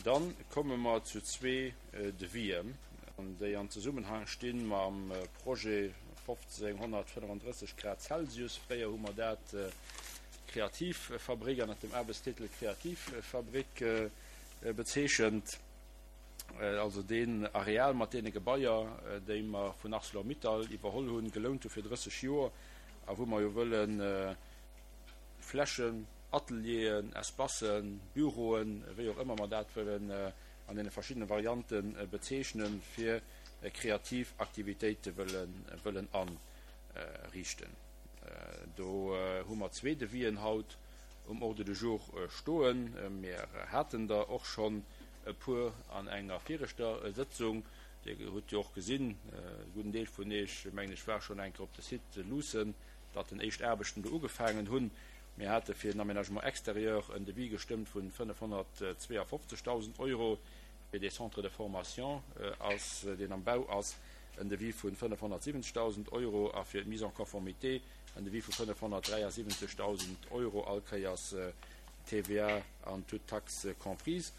Dann komme mer zu zwee Devisen, déi an Zesummenhang sti mam Projet 1535 Grad Celsius. Fréier hu mer dat Kreativfabrik ënnert dem Aarbechtstitel Kreativfabrik bezeechent. Also deen Areal mat deene Gebaier, déi mer vun Arcelor-Mittal iwwerholl hunn, gelount hu fir 30 Joer a wou mer jo wëlle Flächen, Atelieren, Espacen, Büroen, wéi och ëmmer mer dat wëllen an deene verschiddene Variante bezeechnen, fir kreativ Aktivitéite wëllen ariichten. Do hu mer zwee Devisen haut um Ordre du jour stoen. Mir haten der och schonn e puer an enger viregter Sëtzung. Dir hutt jo och gesinn, e gudden Deel vun Iech, mengen ech, war schonn eng Kéier op de Site luussen, datt den éischt Aarbechten do ugefaangen hunn. Mir hate fir den Aménagement extérieur en Devis gestëmmt vun 552.000 Euro, fir dee Centre de formation ass, deen am Bau ass, en Devis vun 570.000 Euro a fir d'Mise en conformité en Devis vu 573.000 Euro, all Kéiers TVA an toutes taxes comprises.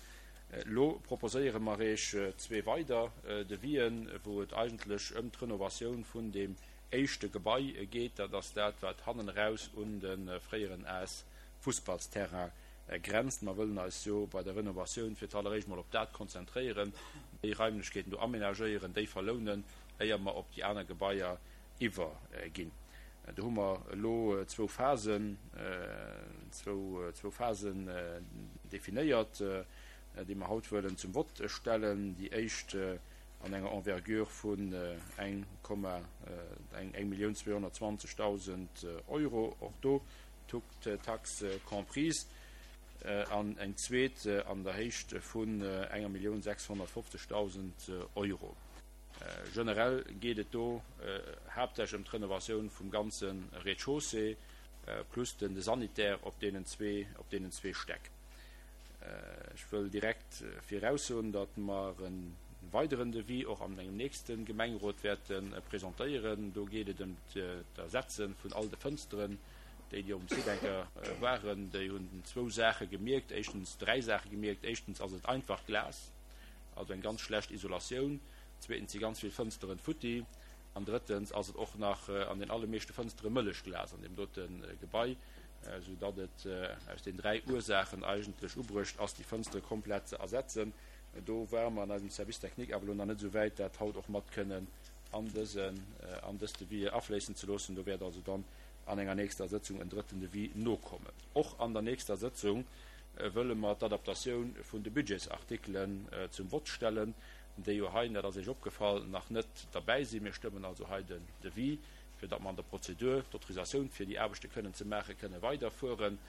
Elo proposéiere mer Iech zwee weider Devisen, wou et eigentlech ëm d'Renovatioun vun deem éischte Gebai geet. Dat ass dat, wat hannen eraus un de fréieren AS Fussballsterrain grenzt. Mer wëllen eis jo bei der Renovatioun fir d'alleréischt mol op dat konzentréieren, déi Raimlechkeeten do aménagéieren, déi verlounen, éier mer op déi aner Gebaier iwwerginn. Do hu mer elo zwou Phasen, zwou Phasen definéiert, déi mer haut wëllen zum Vott stellen. Déi éischt an enger Envergure vun 1.220.000 Euro, och do toutes taxes comprises, an eng zweet an der Héicht vun 1.650.000 Euro. Generell geet et do haaptsächlech ëm d'Renovatioun vum ganze Rez-de-chaussée plus den de Sanitaire op deenen zwee Stäck. Ech wëll direkt viraussoen, datt mer e weideren Devis och an engem nächste Gemengerot wäerte presentéieren. Do geet et ëm d'Ersetze vun all de Fënsteren. Déi, déi op dem Site eng Kéier waren, déi hunn zwou Saache gemierkt, éischtens, dräi Saache gemierkt. Éischtens ass et einfach Glas, also eng ganz schlecht Isolatioun. Zweetens si ganz vill Fënsteren futti. An drëttens ass et och nach an den allermeeschte Fënstere Mëllechglas an deem dote Gebai, sou datt et aus den dräi Ursaachen eigentlech ubruecht ass, déi Fënstere komplett ze ersetzen. Do ware mer an eisem Service technique awer elo nach net esou wäit, dat haut och mat kënnen an dësen, an dës Devis afléissen ze loossen. Do wäert also dann an enger nächster Sëtzung en drëtten Devis nokommen. Och an der nächster Sëtzung wëlle mer d'Adaptatioun vun de Budgetsartikelen zum Vott stellen, déi jo hei, dat ass Iech opgefall, nach net derbäi sinn. Mir stëmmen also hei den Devis, fir datt mer an der Prozedur d'Autorisatioun fir déi Aarbechte kënnen ze maachen, kënne weiderfueren.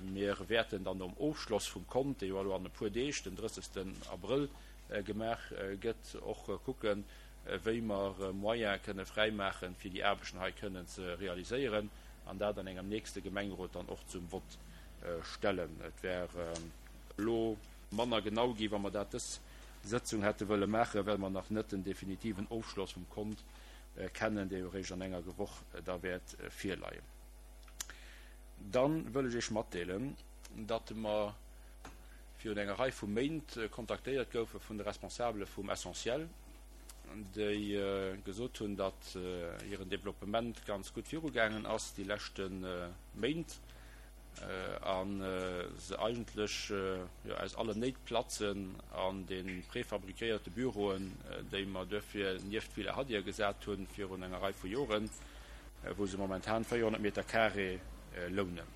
Mir wäerten dann nom Ofschloss vum Kont, dee jo elo an e puer Deeg, den 30. Abrëll, gemaach gëtt, och kucken, wéi mer Moyene kënne fräimaachen, fir déi Aarbechten hei kënnen ze realiséieren an dat an engem nächste Gemengerot dann och zum Vott stellen. Et wär elo manner genau gi wa mer dat dës Sëtzung hätte wëlle maachen, well mer nach net den definitiven Ofschloss vum Kont kennen, dee jo eréischt an enger Woch da wäert virleien. Da wëll ech Iech matdeelen, datt mer virun enger Rei vu Méint kontaktéiert goufe vun de Responsabele vum Essentiel, déi gesot hunn, datt hiren Developpement ganz gutt virugaangen ass déi leschte Méint a se eigentlech aus allen Néit platzen an de prefabriquéierte Büroen, déi mer duerfir nieft d'Villa Hadir gesat hunn virun enger Rei vu Joren, wou se momentan 400 Meter carré lounen.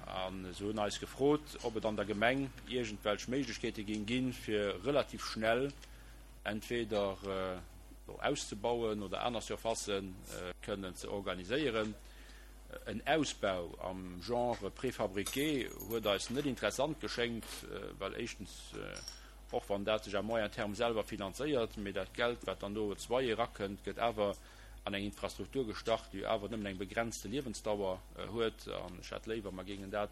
A se hunn eis gefrot, ob et an der Gemeng iergendwelch Méiglechkeete géing ginn, fir relativ schnell entweder auszebauen oder aner Surfacë kënnen ze organiséieren. En Ausbau am Genre préfabriqué huet eis net interessant geschéngt, well éischtens, och wann dat sech à moyen terme selwer finanzéiert, mee dat Geld, wat dann do als Loyer erakënnt, gëtt awer an eng Infrastruktur gestach, déi jo awer nëmmen eng begrenzte Liewensdauer huet. An ech hätt léiwer, mer géingen dat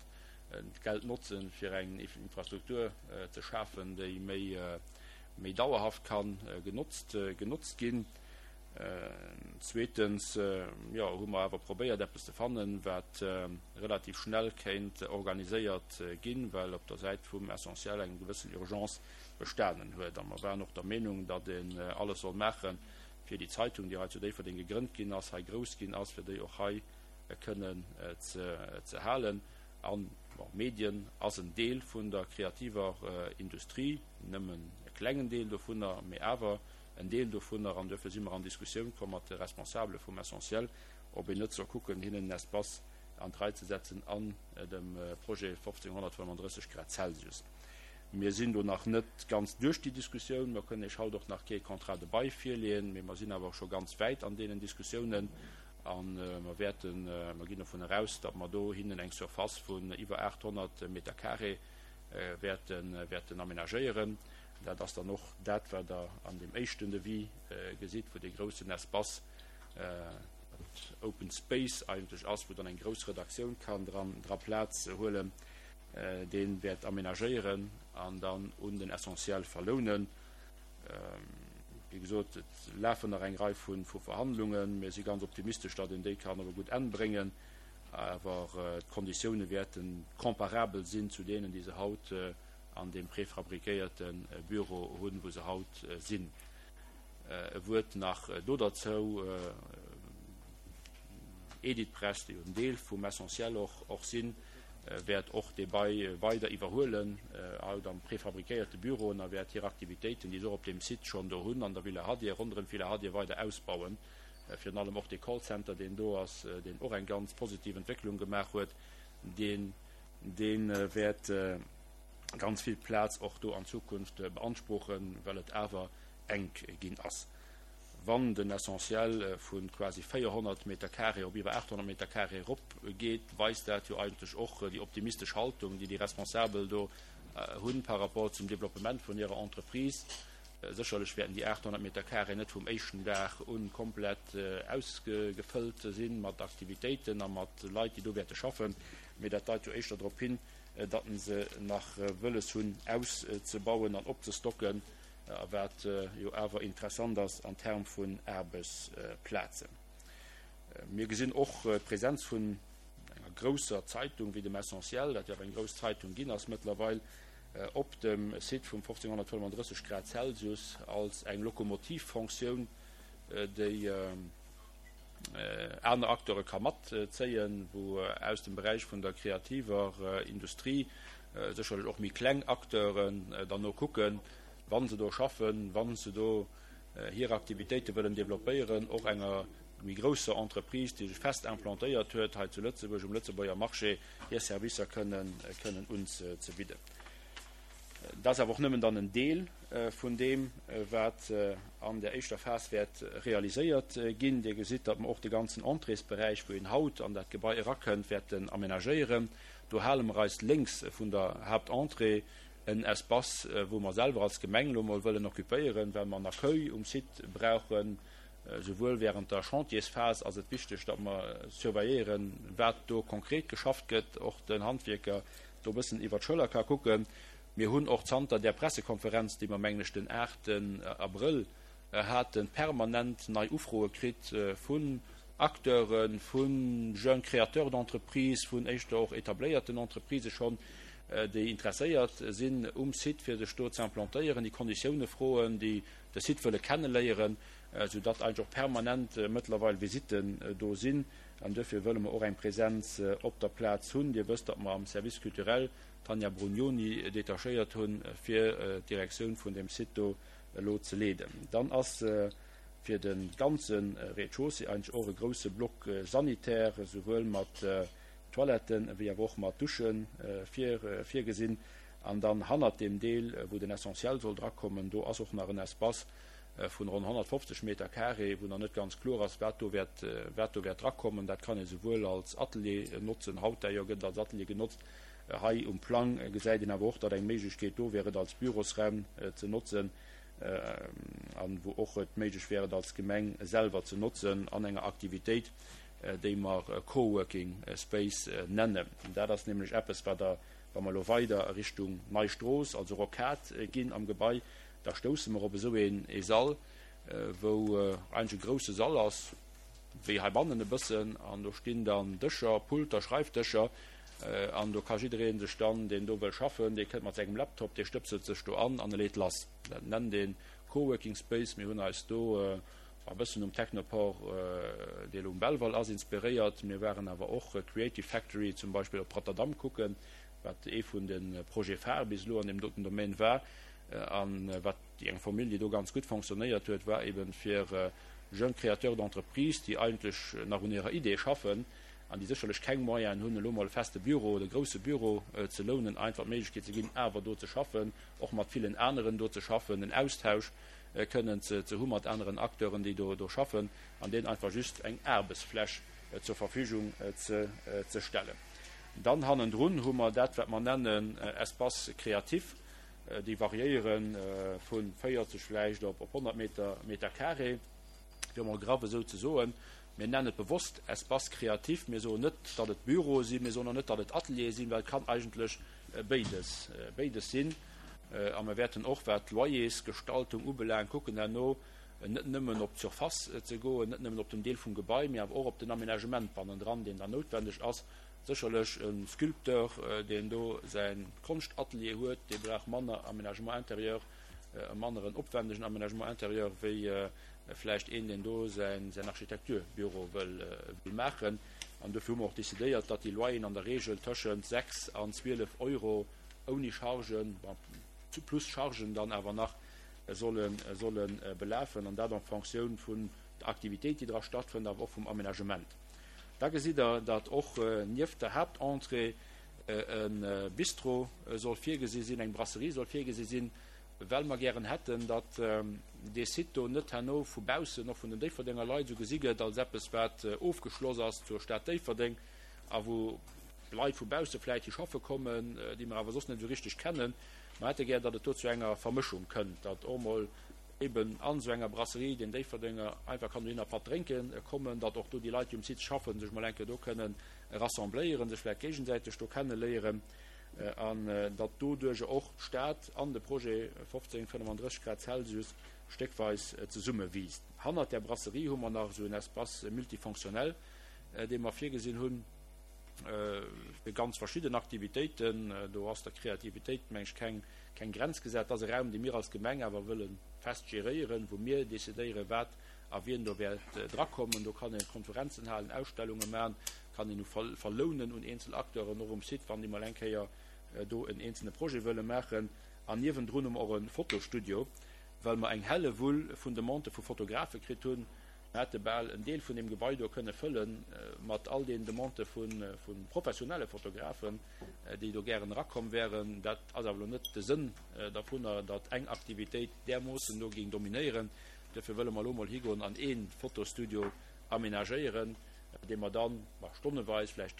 Geld notzen, fir eng Infrastruktur ze schafen, déi méi dauerhaft ka genotzt ginn. Zweetens, jo, hu mer awer probéiert, eppes ze fannen, wat relativ schnell kéint organiséiert ginn, well op der Säit vum Essentiel eng gewëssen Urgence bestanen huet. A mer waren och der Meenung, datt een alles soll maachen, fir déi Zeitung, déi hei zu Déifferdeng gegrënnt ginn ass, hei grouss ginn ass, fir déi och hei kënnen ze halen. An, bon, Medien ass en Deel vun der kreativer Industrie, nëmmen e klengen Deel dovunner, mee awer en Deel dovunner, an duerfir si mer an Diskussioun komm mat de Responsabele vum Essentiel, ob een net soll kucken, hinnen en Espace an d'Rei ze setzen an dem Projet 1535 Grad Celsius. Mir sinn do nach net ganz duerch déi Diskussioun. Mer kënnen Iech haut och nach kee Contrat de bail virleeën, mee mer sinn awer scho ganz wäit an deenen Diskussiounen a mer wäerten, mer ginn dovun eraus, datt mer do hinnen eng Surface vun iwwer 800 Meter carré wäerten, wäerten aménagéieren. Dat ass dann och dat, wat Der an deem éischten Devis gesitt, wou dee groussen Espace, dat Open Space eigentlech ass, wou dann eng grouss Redaktioun kann dran, dra Plaz huelen, dee wäert aménagéieren an dann un den Essentiel verlounen. Wéi gesot, et lafen nach eng Rei vu Verhandlungen. Mir si ganz optimistesch, datt een déi kann op e gutt Enn bréngen. Awer d'Konditioune wäerte comparabel sinn zu deenen, déi se haut an deem prefabriquéierte Büro hunn, wou se haut sinn. E Wuert nach do derzou, Editpress, déi jo en Deel vum Essentiel och sinn, wäert och dee Bail weider iwwerhuelen, haut am prefabriquéierte Büroen, a wäert hir Aktivitéiten, déi se och op deem Site schonn do hunn, an der Villa Hadir, ronderëm d'Villa Hadir weider ausbauen. Virun allem och dee Callcenter, deen do ass, deen och eng ganz positiv Entwécklung gemaach huet, deen Dee wäert ganz vill Plaz och do an Zukunft beanspruchen, well et awer enk ginn ass. Wann den Essentiel vu quasi 400 Meter carré op iwwer 800 Meter carré eropgeet, weist dat jo eigentlech och déi optimistesch Haltung, déi déi Responsabel do hunn par rapport zum Développement vun hirer Entreprise. Sécherlech wäerten déi 800 Meter carré net vum éischten Dag un komplett ausgefëllt sinn mat Aktivitéiten a mat Leit, déi do wäerte schaffen. Mee dat deit jo éischter drop hin, datt se nach wëlles hunn auszebauen an opzestocken, wat jo awer interessant ass an Term vun Aarbechtsplazen. Mir gesinn och d'Präsenz vun enger grousser Zeitung wéi dem Essentiel, dat jo awer eng grouss Zeitung ginn ass mëttlerweil, op dem Site vum 1535 Grad Celsius als eng Lokomotivfonctioun, déi aner Acteure ka matzéien, wou aus dem Beräich vun der kreativer Industrie sécherlech och méi kleng Acteuren dann no kucken, wa se do schaffen, wa se do hir Aktivitéite wëllen développéieren, och enger méi grousser Entreprise, déi sech fest implantéiert huet hei zu Lëtzebuerg um Lëtzebuerger Marché, hir Servicer kënnen unzebidden. Dat ass awer och nëmmen dann en Deel vun deem, wat an der éischter Phas wäert realiséiert ginn. Dir gesitt, datt mer och de ganzen Entréesberäich, wou een haut an dat Gebai erakënnt, wäerten amenagéieren. Do hale mer eis lénks vun der Haaptentrée en Espace, wou mer selwer als Gemeng elo mol wëllen occupéieren, well mer en Accueil um Site brauchen. Souwuel während der Chantiersphas ass et wichteg, datt mer surveilléieren, wat do konkret geschafft gëtt, och den Handwierker do e bëssen iwwer d'Schëller ka kucken. Mir hunn och zanter där Pressekonferenz, déi mer, mengen ech, den aachten Abrëll haten, permanent nei Ufroe kritt vun Acteuren, vu jeunes créateurs d'entreprises, vun éischter och etabléierten Entreprisë schonn, déi interesséiert sinn um Site, fir sech do ze implantéieren, déi Konditioune froen, déi de Site wëlle kenneléieren, soudatt eigentlech och permanent mëttlerweil Visitten do sinn. An duerfir wëlle mer och eng Präsenz op der Plaz hunn. Dir wësst, datt mer am Service culturel d'Tanja Brugnoni detachéiert hunn, fir d'Direktioun vun deem Site do elo ze leeden. Dann ass fir de ganze Rez-de-chaussée eigentlech och e grouse Bloc sanitaire, souwuel mat Toiletten ewéi awer och mat Dusche virgesinn. An dann hannert deem Deel, wou den Essentiel soll drakommen, do ass och nach en Espace, vun ronn 150 Meter carré, wou nach net ganz kloer ass, wat do wäert, wat do wäert drakommen. Dat kann ee souwuel als Atelier notzen, haut d'ailleurs gëtt et als Atelier genotzt, hei um Plang gesäit een awer och, datt eng Méiglechkeet do wär, et als Bürosraum ze notzen an wou och et méiglech wär, et als Gemeng selwer ze notzen an enger Aktivitéit, déi mer Coworking Space nennen. Dat ass nämlech eppes, wat Der, wa mer elo weider a Richtung Nei Strooss, also Rocade ginn am Gebai, Da stousse mer op esou ee Sall. wou eigentlech e grousse Sall ass, wéi heibannen e bëssen, an do stinn dann Dëscher, Pulter, Schreifdëscher, an do ka jidderee sech dann, deen do wëll schaffen, dee kënnt mat sengem Laptop, dee stëpselt sech do an an e leet lass. Dat nennt ee Coworking Space. Mir hunn eis do e bëssen um Technoport, dee elo um Belval ass, inspiréiert. Mir waren awer och Creative Factory zum Beispill op Rotterdam kucken, wat ee vun de Projets phares bis elo an deem doten Domaine war a wat déi eng Formule, déi do ganz gutt fonctionnéiert huet, war eben fir jeunes créateurs d'entreprise, déi eigentlech nach un hirer Idee schaffen an déi sécherlech keng Moyenen hunn, elo mol e feste Büro oder e grouse Büro ze lounen, einfach d'Méiglechkeet ze ginn, awer do ze schaffen, och mat villen aneren do ze schaffen, en Austausch kënnen ze hu mat aneren Acteuren, déi do schaffen, an deenen einfach just eng Aarbechtsfläch zur Verfügung ze stellen. Dann hannendrun hu mer dat, wat mer nennen Espace créatif. Déi variéiere vu 40 vläicht op 100 Meter, Meter carré, fir emol graff esou ze soen. Mir nennen et bewosst Espace créatif. Mir soen net, datt et Büroe sinn, mir soen och net, datt et Ateliere sinn, well et kann eigentlech béides, béides sinn. A mir wäerten och, wat d'Loyersgestaltung ubelaangt, kucken herno net nëmmen op d'Surface ze goen, net nëmmen op den Deel vum Gebai, mee awer och op den Aménagement bannendran, deen dann noutwendeg ass. Sécherlech e Sculpteur, deen do säi Konschtatelier huet, dee brauch manner Aménagement intérieur, e manneren opwändegen Aménagement intérieur wéi vläicht een, deen do säin Architekturbüro wëll maachen. An dofir hu mer och decidéiert, datt déi Loyeren an der Regel tëschent 6 an 12 Euro ouni Chargen, bon, plus Chargen dann awer nach, solle belafen, an dat en Fonctioun vun der Aktivitéit, déi dra stattfënnt, awer och vum Aménagement. Da gesitt Der, datt och nieft der Haaptentrée e Bistro soll virgesi sinn, eng Brasserie soll virgesi sinn, well mer gären hätten, datt dee Site do net herno vu baussen, och vun den Déifferdenger Leit, esou gesi gëtt als eppes, wat ofgeschloss ass zur Stad Déifferdeng a wou Leit vu bausse vläicht hi schaffe kommen, déi mer awer soss net esou richteg kennen. Mer hätte gär, datt et do zu enger Vermëschung kënnt, datt och emol eben an esou enger Brasserie den Déifferdenger einfach kann dohinner Patt drénke kommen, datt och do déi Leit, déi um Site schaffen, sech mol eng Kéier do kënnen rassembléieren, sech vläicht géigesäiteg do kenneléieren an datt doduerjer och d'Stad an de Projet 15 35 Grad Celsius stéckweis zesummewiisst. Hannert där Brasserie hu mer nach esou en Espace multifonctionnel, dee mer virgesinn hunn fir ganz verschidden Aktivitéiten. Do ass der Kreativitéit, meng ech, keng keng Grenz gesat. Dat ass e Raum, dee mir als Gemeng awer wëlle fest geréieren, wou mir decidéieren, wat a wien do wäert drakommen. Do kann ee Konferenzen halen, Ausstellunge maachen, kann een u verlounen un eenzel Acteuren och um Site, wann déi mol eng Kéier do en eenzelne Projet wëlle maachen. An niewendrun hu mer och e Fotostudio, well mer eng Hellewull vun Demandë vu Fotografe kritt hunn. Mir hätte bal en Deel vun deem Gebai do kënne fëlle mat all deenen Demandë vu professionelle Fotografen, déi do gären erakomm wären. Dat ass awer elo net de Sënn dervunner, datt eng Aktivitéit därmoossen do géing dominéieren. Duerfir wëlle mer elo emol higoen an ee Fotostudio amenagéieren, dee mer dann stonneweis, vläicht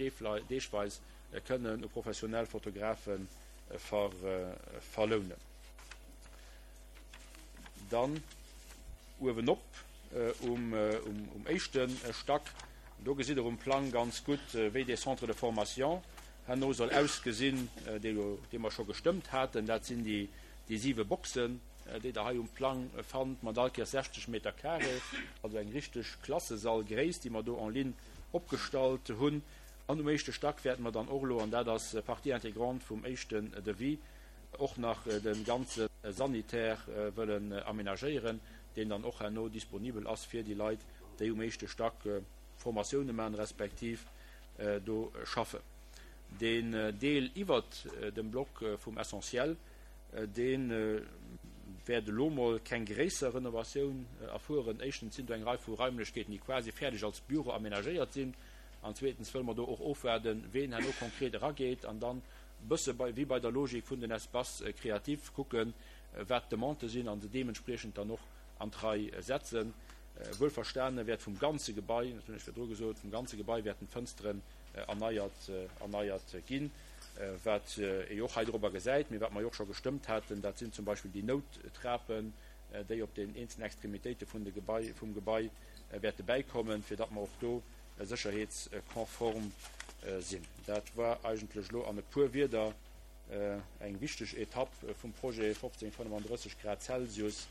deegweis kënnen u professionell Fotografe verlounen. Dann uewenop um éischte Stack, do gesitt Der um Plang ganz gutt, wéi dee Centre de formation herno soll ausgesinn, dee mer scho gestëmmt haten. Dat sinn déi siwe Boxen, déi Der hei um Plang fannt, mat all Kéiers 60 Meter carré, also eng richteg Klassesallgréisst, déi mer do en ligne opgestallt hunn. An um éischte Stack wäerte mer dann och elo, an dat ass Partie intégrante vum éischten Devis, och nach de ganze Sanitaire wëllen amenagéieren, deen dann och herno disponibel ass fir déi Leit, déi um éischte Stack Formatioune maachen, respektiv do schaffen. Deen Deel iwwert dem Block vum Essentiel, dee wäert elo mol keng gréisser Renovatioun erfueren. Éischtens sinn do eng Rei vu Raimlechkeeten, déi quasi fäerdeg als Büro amenagéiert sinn, an zweetens wëlle mer do och ofwaarden, ween herno konkret erageet an dann e bësse wéi bei der Logik vun den Espaces créatifs kucken, wat d'Demandë sinn a se deementspriechend dann och an d'Rei setzen. Wuelverstane wäert vum ganze Gebai, dat hunn ech virdru gesot, vum ganze Gebai wäerten d'Fënsteren erneiert, erneiert ginn. Wat ee jo och hei dorobber gesäit, mee wat mer jo och scho gestëmmt haten, dat sinn zum Beispill déi Nouttrapen, déi op den eenzelnen Extremitéite vun de Gebai, vum Gebai wäerte bäikommen, fir datt mer och do sécherheetskonform sinn. Dat war eigentlech elo an e puer Wieder eng wichteg Etapp vum Projet 1535 Grad Celsius.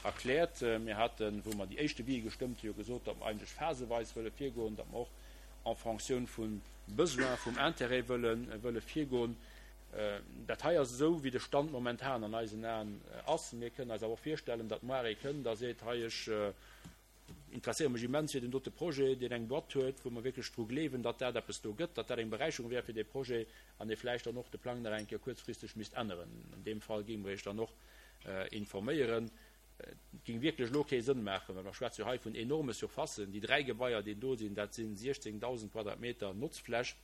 Erkläert. Mir haten, wou mer déi éischt Devis gestëmmt hunn, jo gesot, datt mer eigentlech phaseweis wëlle virgoen, datt mer och en fonction vum Besoin, vum Intérêt wëlle virgoen. Dat hei ass esou, wéi de Stand momentan an eisen Aen ass. Mir kënnen eis awer och virstellen, datt moar ee kënnt a seet, hei, ech interesséiere mech immens fir deen dote Projet, deen eng Boîte huet, wou mer wierklech dru gleewen, datt dat eppes do gëtt, datt dat eng Beräicherung wär fir dee Projet an ee vläicht dann och de Plang nach eng Kéier kuerzfristeg misst änneren. An deem Fall géinge mer Iech dann och informéieren. Et géing wierklech elo kee Sënn maachen, well mer schwätze jo hei vun enorme Surfacen. Déi 3 Gebaier, déi do sinn, dat si 16.000 Quadratmeter Notzfläch,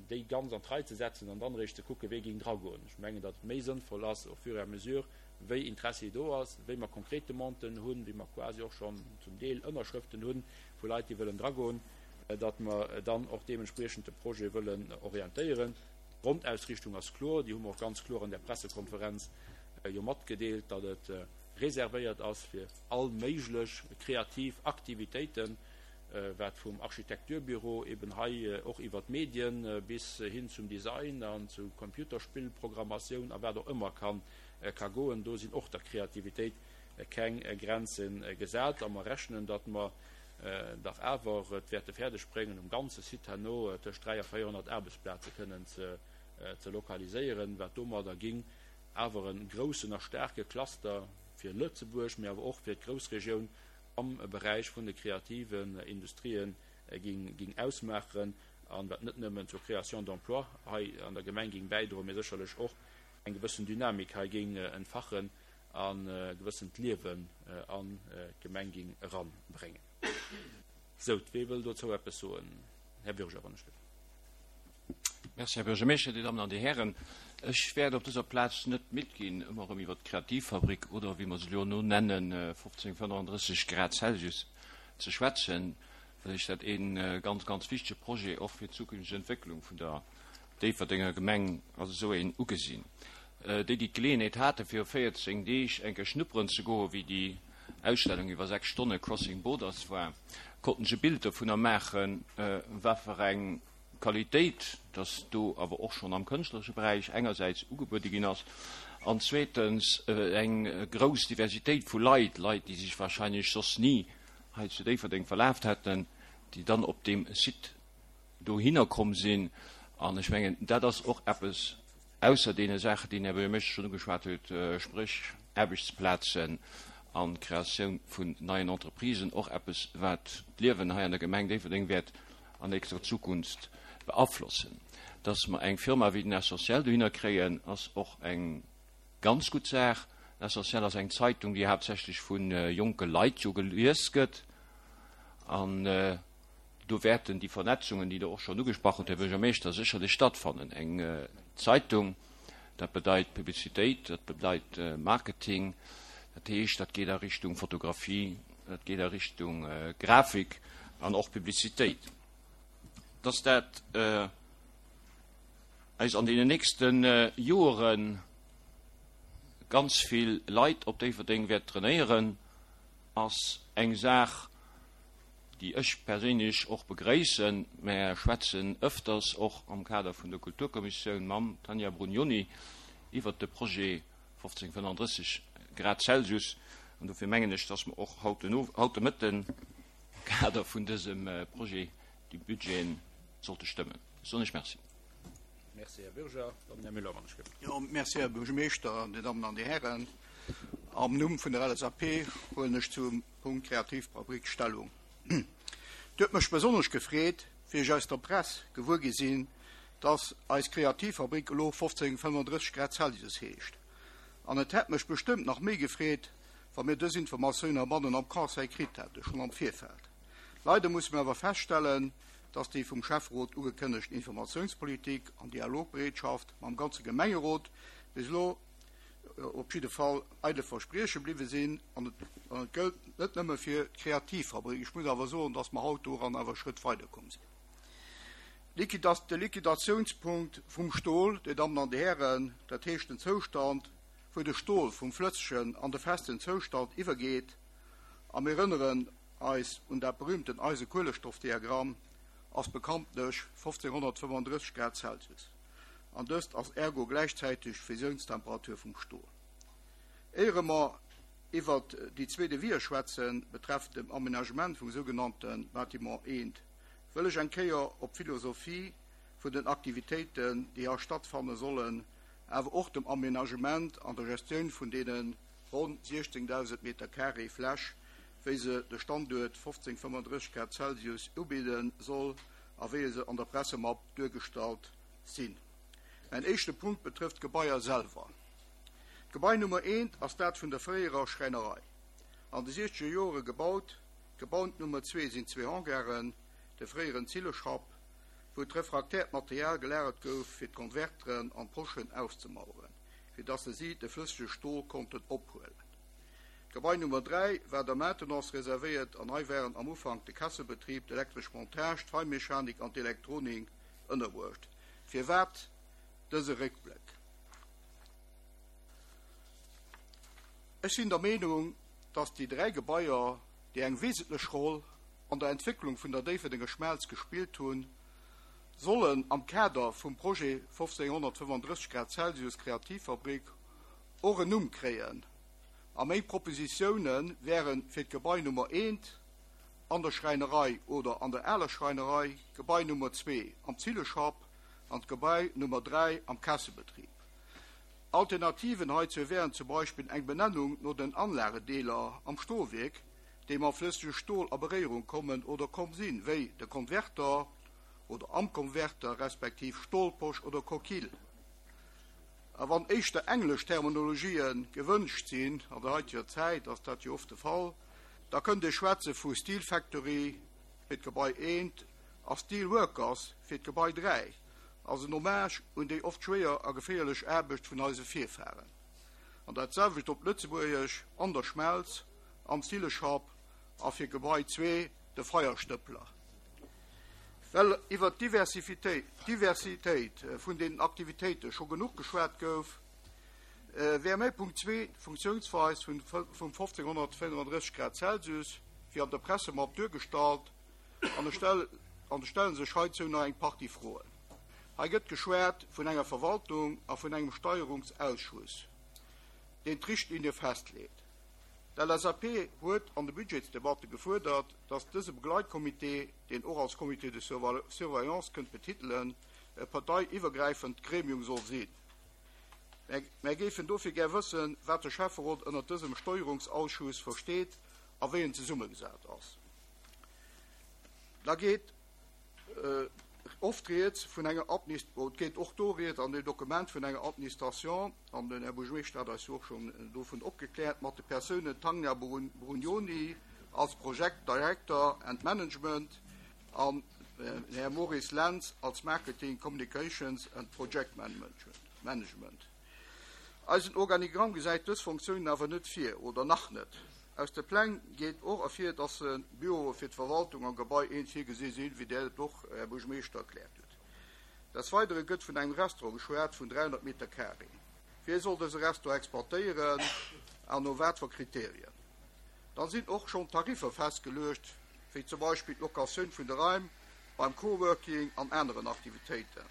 déi ganz an d'Rei ze setzen an dann eréischt ze kucken, wee géing dragoen. Ech mengen, datt et méi sënnvoll ass, au fur et à mesure, wéi Interessi do ass, wéi mer konkret Demanden hunn, wéi mer quasi och schonn zum Deel Ënnerschrëften hu vu Leit, déi wëllen dragoen, datt mer dann och deementspriechend de Projet wëllen orientéieren. D'Grondausrichtung ass kloer, déi hu mer och ganz kloer an där Pressekonferenz jo matgedeelt, datt et reservéiert ass fir all méiglech kreativ Aktivitéiten, wat vum Architekturbüro eben hei och iwwer d'Medien bis hin zum Design an zu Computerspillprogrammatioun a wat och ëmmer ka goen. Do sinn och der Kreativitéit keng Grenze gesat a mer rechnen, datt mer dach awer et wäerte fäerdeg bréngen, um ganze Site herno tëscht 3 a 400 Aarbechtsplaze kënnen ze lokaliséieren, wat domadder ging awer e groussen a staarke Cluster fir Lëtzebuerg, mee awer och fir d'Groussregioun am Beräich vun de kreativen Industrien ging ausmaachen an wat net nëmmen zur Création d'emplois hei an der Gemeng ging bäidroen, mee sécherlech och eng gewëssen Dynamik hei ging entfachen a gewëssent Liewen an d'Gemeng ging eranbréngen. Sou, wee wëll dozou eppes soen? Här Bürger, wann ech dierf. Merci, Här Buergermeeschter, Dir Dammen an Dir Hären. Ech wäert op dëser Plaz net midd ginn, ëmmer erëm iwwert d'Kreativfabrik oder, wéi mer se elo no nennen, 1535 Grad Celsius ze schwätzen, well ech dat ee ganz, ganz wichtege Projet och fir d'zukünfteg Entwécklung vun der Déifferdenger Gemeng als esou een ugesinn. Déi, déi d'Geleeënheet haten, viru 14 Deeg eng Kéier schnupperen ze goen, wéi déi Ausstellung iwwer 6 Stonne Crossing Borders war, konnten sech e Bild dovunner maachen, wat fir eng Qualitéit, dass do awer och schonn am kënschtleresche Beräich engersäits ugebuede ginn ass an zweetens eng grouss Diversitéit vu Leit, Leit, déi sech wahrscheinlech soss ni hei zu Déifferdeng verlaaft hätten, déi dann op deem Site dohinner komm sinn. An ech mengen, dat ass och eppes, ausser deene Saachen, déi den Här Buergermeeschter schonn ugeschwat huet, spréch Aarbechtsplazen an d'Kreatioun vun neien Entreprisen, och eppes, wat d'Liewen hei an der Gemeng Déifferdeng wäert an nächster Zukunft beaflossen. Dass mer eng Firma wéi den Essentiel dohinner kréien, ass och eng ganz gutt Saach. Den Essentiel ass eng Zeitung, déi haaptsächlech vu jonke Leit jo gelies gëtt. An do wäerten déi Vernetzungen, déi Der och schonn ugesprach hutt, Här Buergermeeschter, sécherlech stattfannen. Eng Zeitung, dat bedeit Publicitéit, dat bedeit Marketing, dat heescht, dat geet a Richtung Fotografie, dat geet a Richtung Grafik an och Publicitéit. Dass dat eis an deenen nächste Joere ganz vill Leit op Déifferdeng wäert trainéieren, ass eng Saach, déi ech perséinlech och begréissen. Mär schwätzen ëfters och am Kader vun der Kulturkommissioun mam Tanja Brugnoni iwwert de Projet 1535 Grad Celsius an dofir mengen ech, dass mer och haut den haut de Mëtten am Kader vun dësem Projet déi Budgeten sollte stëmmen. Ech soen lech Merci. Merci, Här Bürger. Dann den Här Müller, wann ech gëtt. Jo, merci, Här Buergermeeschter, Dir Dammen an Dir Hären. Am Numm vun der LSAP huelen ech zum Punkt Kreativfabrik Stellung. Et huet mech besonnesch gefreet, wéi ech aus der Press gewuer gi sinn, dass eis Kreativfabrik elo 1535 Grad Celsius heescht. An et hätt mech bestëmmt nach méi gefreet, wa mir dës Informatioun heibannen am Conseil kritt hätte schonn am Virfeld. Leider musse mir awer feststellen, dass déi vum Schäfferot ugekënnegt Informatiounspolitik an Dialogbereetschaft mam ganze Gemengerot bis elo op jidde Fall eidle Versprieche bliwwe sinn. An et gëllt net nëmme fir d'Kreativfabrik. Ech muss awer soen, dass mer haut doran awer e Schrëtt weiderkomm sinn. De Liquidatiounspunkt vum Stol, Dir Dammen an Dir Hären, dat heescht den Zoustand, wou de Stol vum flëssegen an de festen Zoustand iwwergeet, a mir erënneren eis un dat berühmten Eise-Kuelestoff-Diagramm, ass bekanntlech 1535 Grad Celsius, an dëst ass ergo gläichzäiteg d'Fusiounstemperatur vum Stol. Éiere mer. iwwert déi zwee Devisë schwätzen, betreffend dem Aménagement vum sougenannte Bâtiment eent, wëll ech eng Kéier op d'Philosophie vun den Aktivitéiten, déi hei stattfanne sollen, awer och dem Aménagement an der Gestioun vun deene ronn 16.000 Meter carré Fläch, wéi se de Standuert 1535 Grad Celsius ubidde soll a wéi se an der Pressemapp duergestallt sinn. Mäin éischte Punkt betrëfft d'Gebaier selwer. D'Gebai Nummer eent ass dat vun der fréierer Schräinerei, an de siechzeger Joere gebaut. D'Gebai Nummer zwee sinn zwee Hangaren, de fréieren Zilleschapp, wou d'refraktäert Material gelagert gouf fir d'Konverteren an d'Poschen auszemaueren, fir dass se si de flëssege Stol konnten ophuelen. D'Gebai Nummer 3 war der Maintenance reservéiert an hei waren am Ufank de Kesselbetrib, d'elektresch Montage, d'Feinmechanik an d'Elektronik ënnerbruecht. Firwat dëse Réckbléck? Ech sinn der Meenung, dass déi dräi Gebaier, déi eng wesentlech Roll an der Entwécklung vun der Déifferdenger Schmelz gespillt hunn, sollen am Kader vum Projet 1535 Grad Celsius Kreativfabrik och en Numm kréien a meng Propositioune wäre fir d'Gebai Nummer eent an der Schräinerei oder an der aler Schräinerei, d'Gebai Nummer zwee am Zilleschapp an d'Gebai Nummer dräi am Kesselbetrib. Alternativen heizou wären zum Beispill eng Benennung no den Anlagedeeler am Stolwierk, déi mam flëssege Stol a Beréierung kommen oder komm sinn, wéi de Konverter oder am Konverter respektiv Stolposch oder Coquille. A wann éischter englesch Terminologië gewënscht sinn, an der haiteger Zäit ass dat jo oft de Fall, da kënnt ee schwätze vu Steel Factory fir d'Gebai eent a Steel Workers fir d'Gebai 3, als en Hommage un déi oft schwéier a geféierlech Aarbecht vun eise Virfaren. An dat selwecht op Lëtzebuergesch, An der Schmelz, am Zilleschapp a fir Gebai 2 de Feierstëppler. Well iwwer d'Diversitéit vun den Aktivitéite scho genuch geschwat gouf, wär mäi Punkt 2 d'Funktiounsweis vum 1535 Grad Celsius, wéi an der Pressemapp duergestallt, an et stelle sech heizou nach eng Partie Froen. Hei gëtt geschwat vun enger Verwaltung a vun engem Steierungsausschuss, deen d'Richtlinie festleet. D'LSAP huet an de Budgetsdebatte gefuerdert, datt dëse Begleitcomité, deen och als Comité de surveillance kënnt betitelen, e parteiiwwergräifend Gremium soll sinn. Mär géifen dofir gär wëssen, wat de Schäfferot ënnert dësem Steuerungsausschuss versteet a wéi en zesummegesat ass. Da geet oft rieds vun enger Administ-, et geet och do rieds an deem Dokument vun enger Administration, an den Här Buergermeeschter hat eis jo och schonn dovun opgekläert, mat de Persounen Tanja Brugnoni als Project Director and Management an den Här Maurice Lentz als Marketing, Communications and Project Management. Eisen Organigramm gesäit dës Fonctiounen awer net vir, oder nach net. Aus de Pläng geet och ervir, dass Büroe fir d'Verwaltung am Gebai 1 virgesi sinn, wéi Der et och, Här Buergermeeschter, erkläert hutt. Des Weidere gëtt vun engem Restaurant geschwat vun 300 Meter carré. Wie soll dëse Restaurant exploitéieren an no wat fir Kriterien? Dann sinn och schonn Tariffer festgeluecht, wéi zum Beispill d'Locatioun vun de Raim beim Coworking an aneren Aktivitéiten.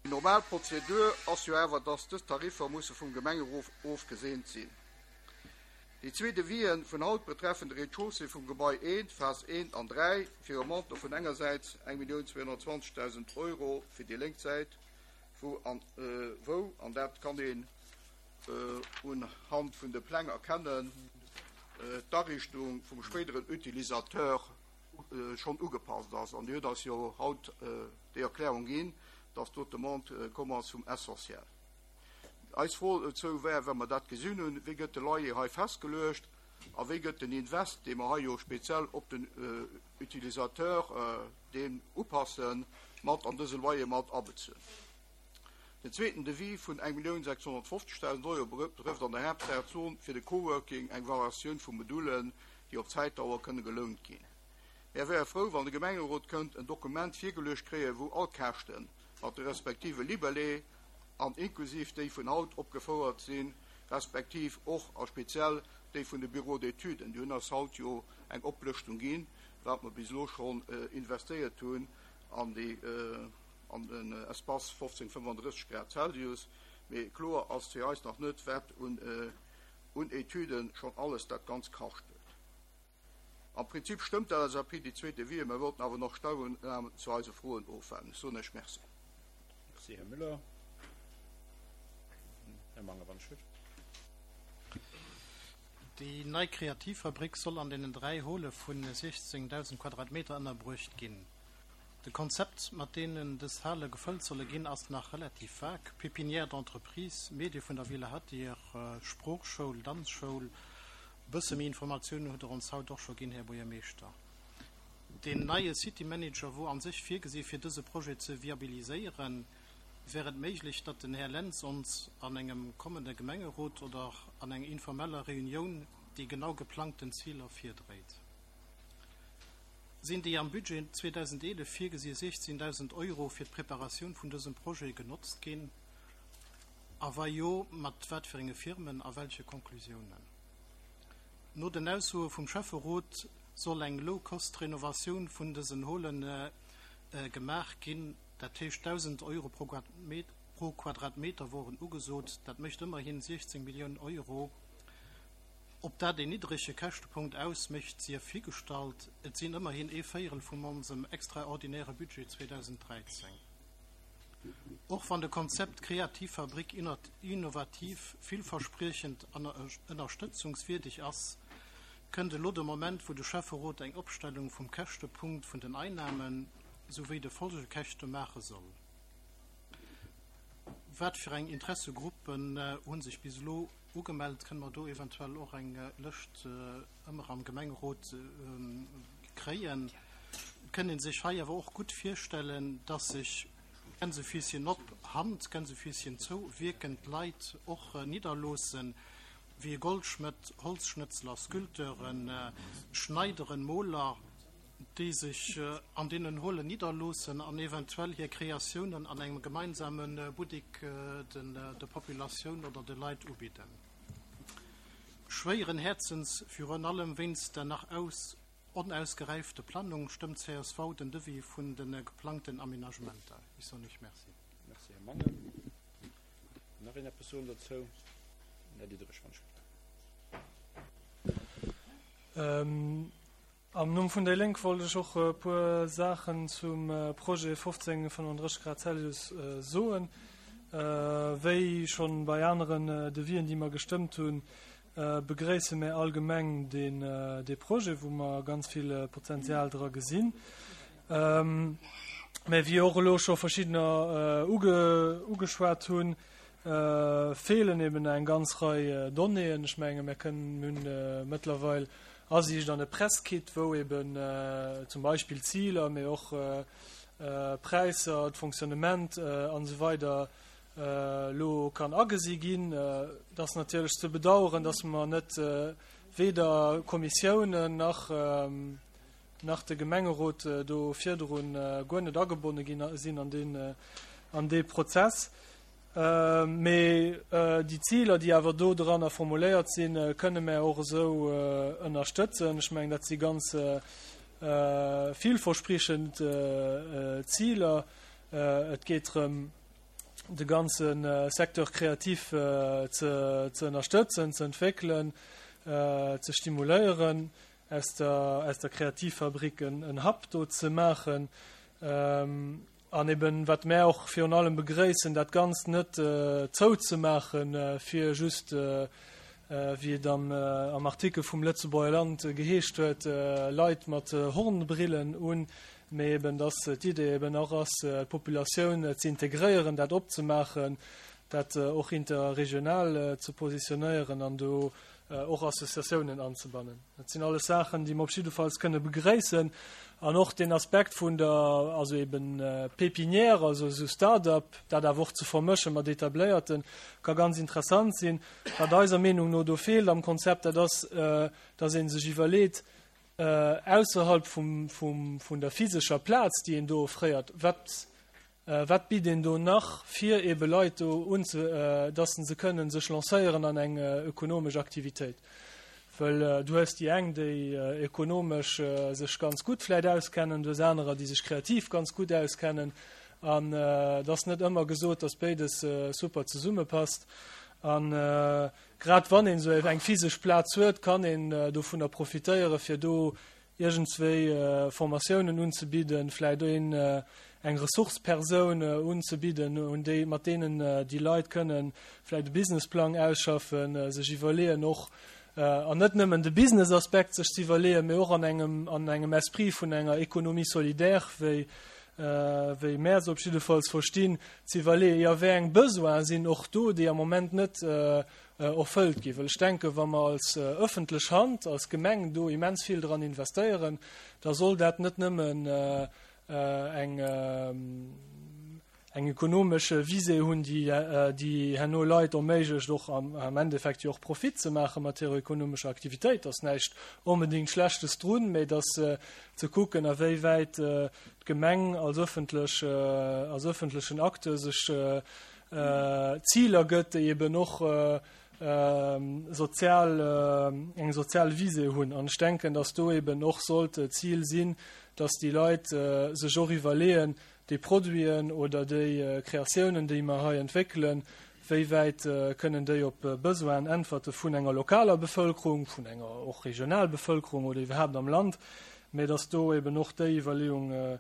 Déi normal Prozedur ass jo awer, dass dës Tariffer musse vum Gemengerot ofgeseent sinn. Déi zwee Devisen vun haut betreffen de Rez-de-chaussée vum Gebai 1, Phas 1 an 3, fir e Montant vun engersäits 1.220.000 Euro fir déi lénk Säit, wou an, wou, an dat kann een unhand vun de Pläng erkennen, d'Ariichtung vum spéideren Utilisateur schonn ugepasst ass. An Dir hutt eis jo haut déi Erklärung ginn, dass do d'Demande komm ass vum Essentiel. Eis Fro dozou wär, wa mer dat gesinn hunn, Wéi gëtt de Loyer hei festgeluecht a wéi gëtt den Invest, dee mer hei jo speziell op den Utilisateur deen upassen, mat an dëse Loyer mat abezunn? Den zweeten Devis vun 1.650.000 Euro betrëfft an der Haaptsaach d'Zon fir de Coworking, eng Variatioun vu Modulen, déi op Zäitdauer kënne gelount ginn. Mär wäre frou, wann de Gemengerot kënnt en Dokument virgeluecht kréien, wou all Käschte mat de respektive Libellé an inklusiv déi vun haut opgefouert sinn, respektiv och a speziell déi vun de Bureaux d'études, déi hunn eis haut jo eng Oplëschtung ginn, wat mer bis elo schonn investéiert hunn an déi, an den Espace 1535 Grad Celsius. Mee kloer ass fir eis nach net, wat un. un Etüden schonn alles dat Ganz kascht huet. Am Prinzip stëmmt d'LSAP déi zweet Devis, mer wollten awer nach Stellungnahmen zu eise Froen ofwaarden. Ech soen Iech Merci. Merci, Här Müller. Här Mangen, wann ech hutt. Déi nei Kreativfabrik soll an deenen 3 Hole vu 16.000 Quadratmeter ënnerbruecht ginn. De Konzept, mat deenen dës Hale gefëllt solle ginn, ass nach relativ vag, Pépinière d'entreprise, Medie vun der Villa Hadir, Sproochschoul, Danzschoul. E bësse méi Informatiounen hutt Der ons haut och scho ginn, Här Buergermeeschter. Deen neie City Manager wor an sech virgesi fir dëse Projet ze viabiliséieren. Wär et méiglech, datt den Här Lentz ons an engem kommende Gemengerot oder an eng informeller Reunioun déi genau geplangten Ziler virdréit? Sinn déi am Budget 2011 virgesi 16.000 Euro fir d'Preparatioun vun dësem Projet genotzt ginn, a wa jo, mat wat fir enge Firmen a welche Konklusiounen? No den Aussoe vum Schäfferot soll eng Low-Cost-Renovatioun vun dësen Holen gemaach ginn, dat heescht 1.000 Euro pro Quadratmeter woren ugesot, dat mécht ëmmerhin 16 Milliounen Euro. Ob dat een niddrege Käschtepunkt ausmécht, sief higestallt, et sinn ëmmerhin ee Véierel vum onsem extraordinäre Budget 2013. Och wann de Konzept Kreativfabrik innovativ, villverspriechend an ënnerstëtzungswierdeg ass, kënnt elo de Moment, wou de Schäfferot eng Opstellung vum Käschtepunkt vun den Einnahmen souwéi de Folgekäschte maache soll. Wat fir eng Interessegruppen hu sech bis elo Ugemellt? Kënne mer do eventuell och eng Lëscht ëmmer am Gemengerot kréien? Et kënnt ee sech hei awer och gutt virstellen, dass sech Gänsefüßchen op, Hand, Gänsefüßchen zou wierkend Leit och nidderloossen, wéi e Goldschmëtt, Holzschnëtzler, Sculpteuren, Schneideren, Moler, déi sech an deenen Holen nidderloossen an eventuell hir Kreatiounen an engem gemeinsame Buttik der Populatioun oder de Leit ubidden. Schwéieren Häerzens, virun allem wéinst der nach onausgeräifte Planung, stëmmt csv den Devis vun de geplangten Aménagementer. Ech soen Iech Merci. Merci, Här Mangen. Nach een eppes soen dozou? Här Diderich, wann ech. Am Numm vun déi Lénk wollt ech och e puer Saachen zum Projet 1535 Grad Celsius soen. Wéi schonn bei aneren Devisen, déi mer gestëmmt hunn, begréisse mär allgemeng dee Projet, wou mer ganz vill Potenzial dra gesinn. Mä wéi och elo scho verschiddener ugeschwat hunn, feelen eben eng ganz Rei Donnéeën. Ech menge mir kënnen, mir hunn mëttlerweil Asiicht an e Presskit, wou eben zum Beispill Ziler, mee och Präisser, d'Fonctionnement an esou weider elo kann agesi ginn. Et ass natierlech ze bedauern, dass mer net weder Kommissiounen nach nach de Gemengerot do virdrun guer net agebonne ginn sinn an deen an dee Prozess. Mee déi Ziler, déi awer do dranner formuléiert sinn, kënne mär och esou ënnerstëtzen. Ech mengen, dat si ganz villverspriechend Ziler. Et geet drëm, de ganze Secteur créatif ze ënnerstëtzen, ze entwéckelen, ze stimuléieren, aus der Kreativfabrik en Hub do ze maachen. An eben, wat mär och virun allem begréissen, dat Ganzt net zouzemaachen, fir just, wéi et am Artikel vum Lëtzebuerger Land geheescht huet, Leit mat Hornbrillen un, mee eben, dass d'Idee eben och ass, d'Populatioun ze integréieren, dat opzemaachen, dat och interregional ze positionéieren an do och Associatiounen anzebannen. Dat sinn alles Saachen, déi mer op jiddefalls kënne begréissen. An och den Aspekt vun der, also eben Pépinière, also esou Start-up, dat awer och ze vermësche mat etabléierten, ka ganz interessant sinn. Wat eiser Meenung no do feelt am Konzept, dat ass, dass ee sech iwwerleet, ausserhalb vum, vum, vun der physescher Plaz, déi een do offréiert, wat, Wat bitt een do nach, fir eebe Leit do unze, dass se kënnen sech lancéieren an eng ökonomesch Aktivitéit? Well du hues déi eng, déi ökonomesch sech ganz gutt vläicht auskennen, du hues anerer, déi sech kreativ ganz gutt auskennen. An et ass net ëmmer gesot, dass béides super zesummepasst. A grad wann een esou eng physesch Plaz huet, kann een dovunner profitéieren, fir do iergendswéi Formatiounen unzebidden, vläicht een eng Ressource-Persoun unzebidden, un déi, mat deenen déi Leit kënnen vläicht e Businessplang ausschaffen, sech iwwerleeën och, an net nëmmen de Business-Aspekt sech ze iwwerleeën, mee och an engem, an engem Esprit vun enger Économie solidaire, wéi, wéi mär se op jiddefalls verstinn, ze iwwerleeën, jo, wéi eng Besoine sinn och do, déi am Moment net erfëllt ginn. Well ech denken, wa mer als öffentlech Hand, als Gemeng do immens vill dran investéieren, da soll dat net nëmmen eng eng ökonomesch Visée hunn, déi déi herno Leit erméiglecht, och am Endeffekt jo och Profit ze maache mat hirer ökonomescher Aktivitéit. Da ass näischt onbedéngt Schlechtes drun, mä et ass ze kucken, a wéi wäit d'Gemeng als öffentlech, als öffentlechen Acteur sech Ziler gëtt, déi eben och sozial, eng sozial Visée hunn. An ech denken, dass do eben och sollt d'Zil sinn, dass déi Leit sech och iwwerleeën, déi Produiten oder déi Kreatiounen, déi mer hei entwéckelen, wéi wäit kënnen déi op Besoinen äntwerte vun enger lokaler Bevëlkerung, vun enger och regional Bevëlkerung oder iwwerhaapt am Land, mä dass do eben och déi Iwwerleeung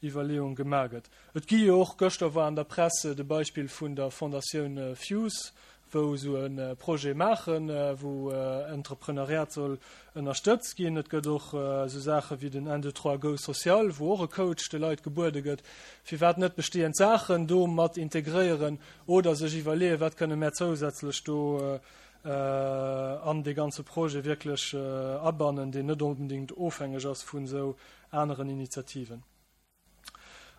Iwwerleeung gemaach gëtt. Et gi jo och, gëschter war an der Press de Beispill vun der Fondatioun Fuse, wou esou e Projet maachen, wou Entrepreneuriat soll ënnerstëtzt ginn. Et gëtt och esou Saache wéi den Un, deux, trois, go social, wou och e Coach de Leit gebuede gëtt. Firwat net bestehend Saachen do mat integréieren oder sech iwwerleeën, wat kënne mär zousätzlech do an dee ganze Projet wierklech abannen, deen net onbedéngt ofhängeg ass vun esou aneren Initiativen.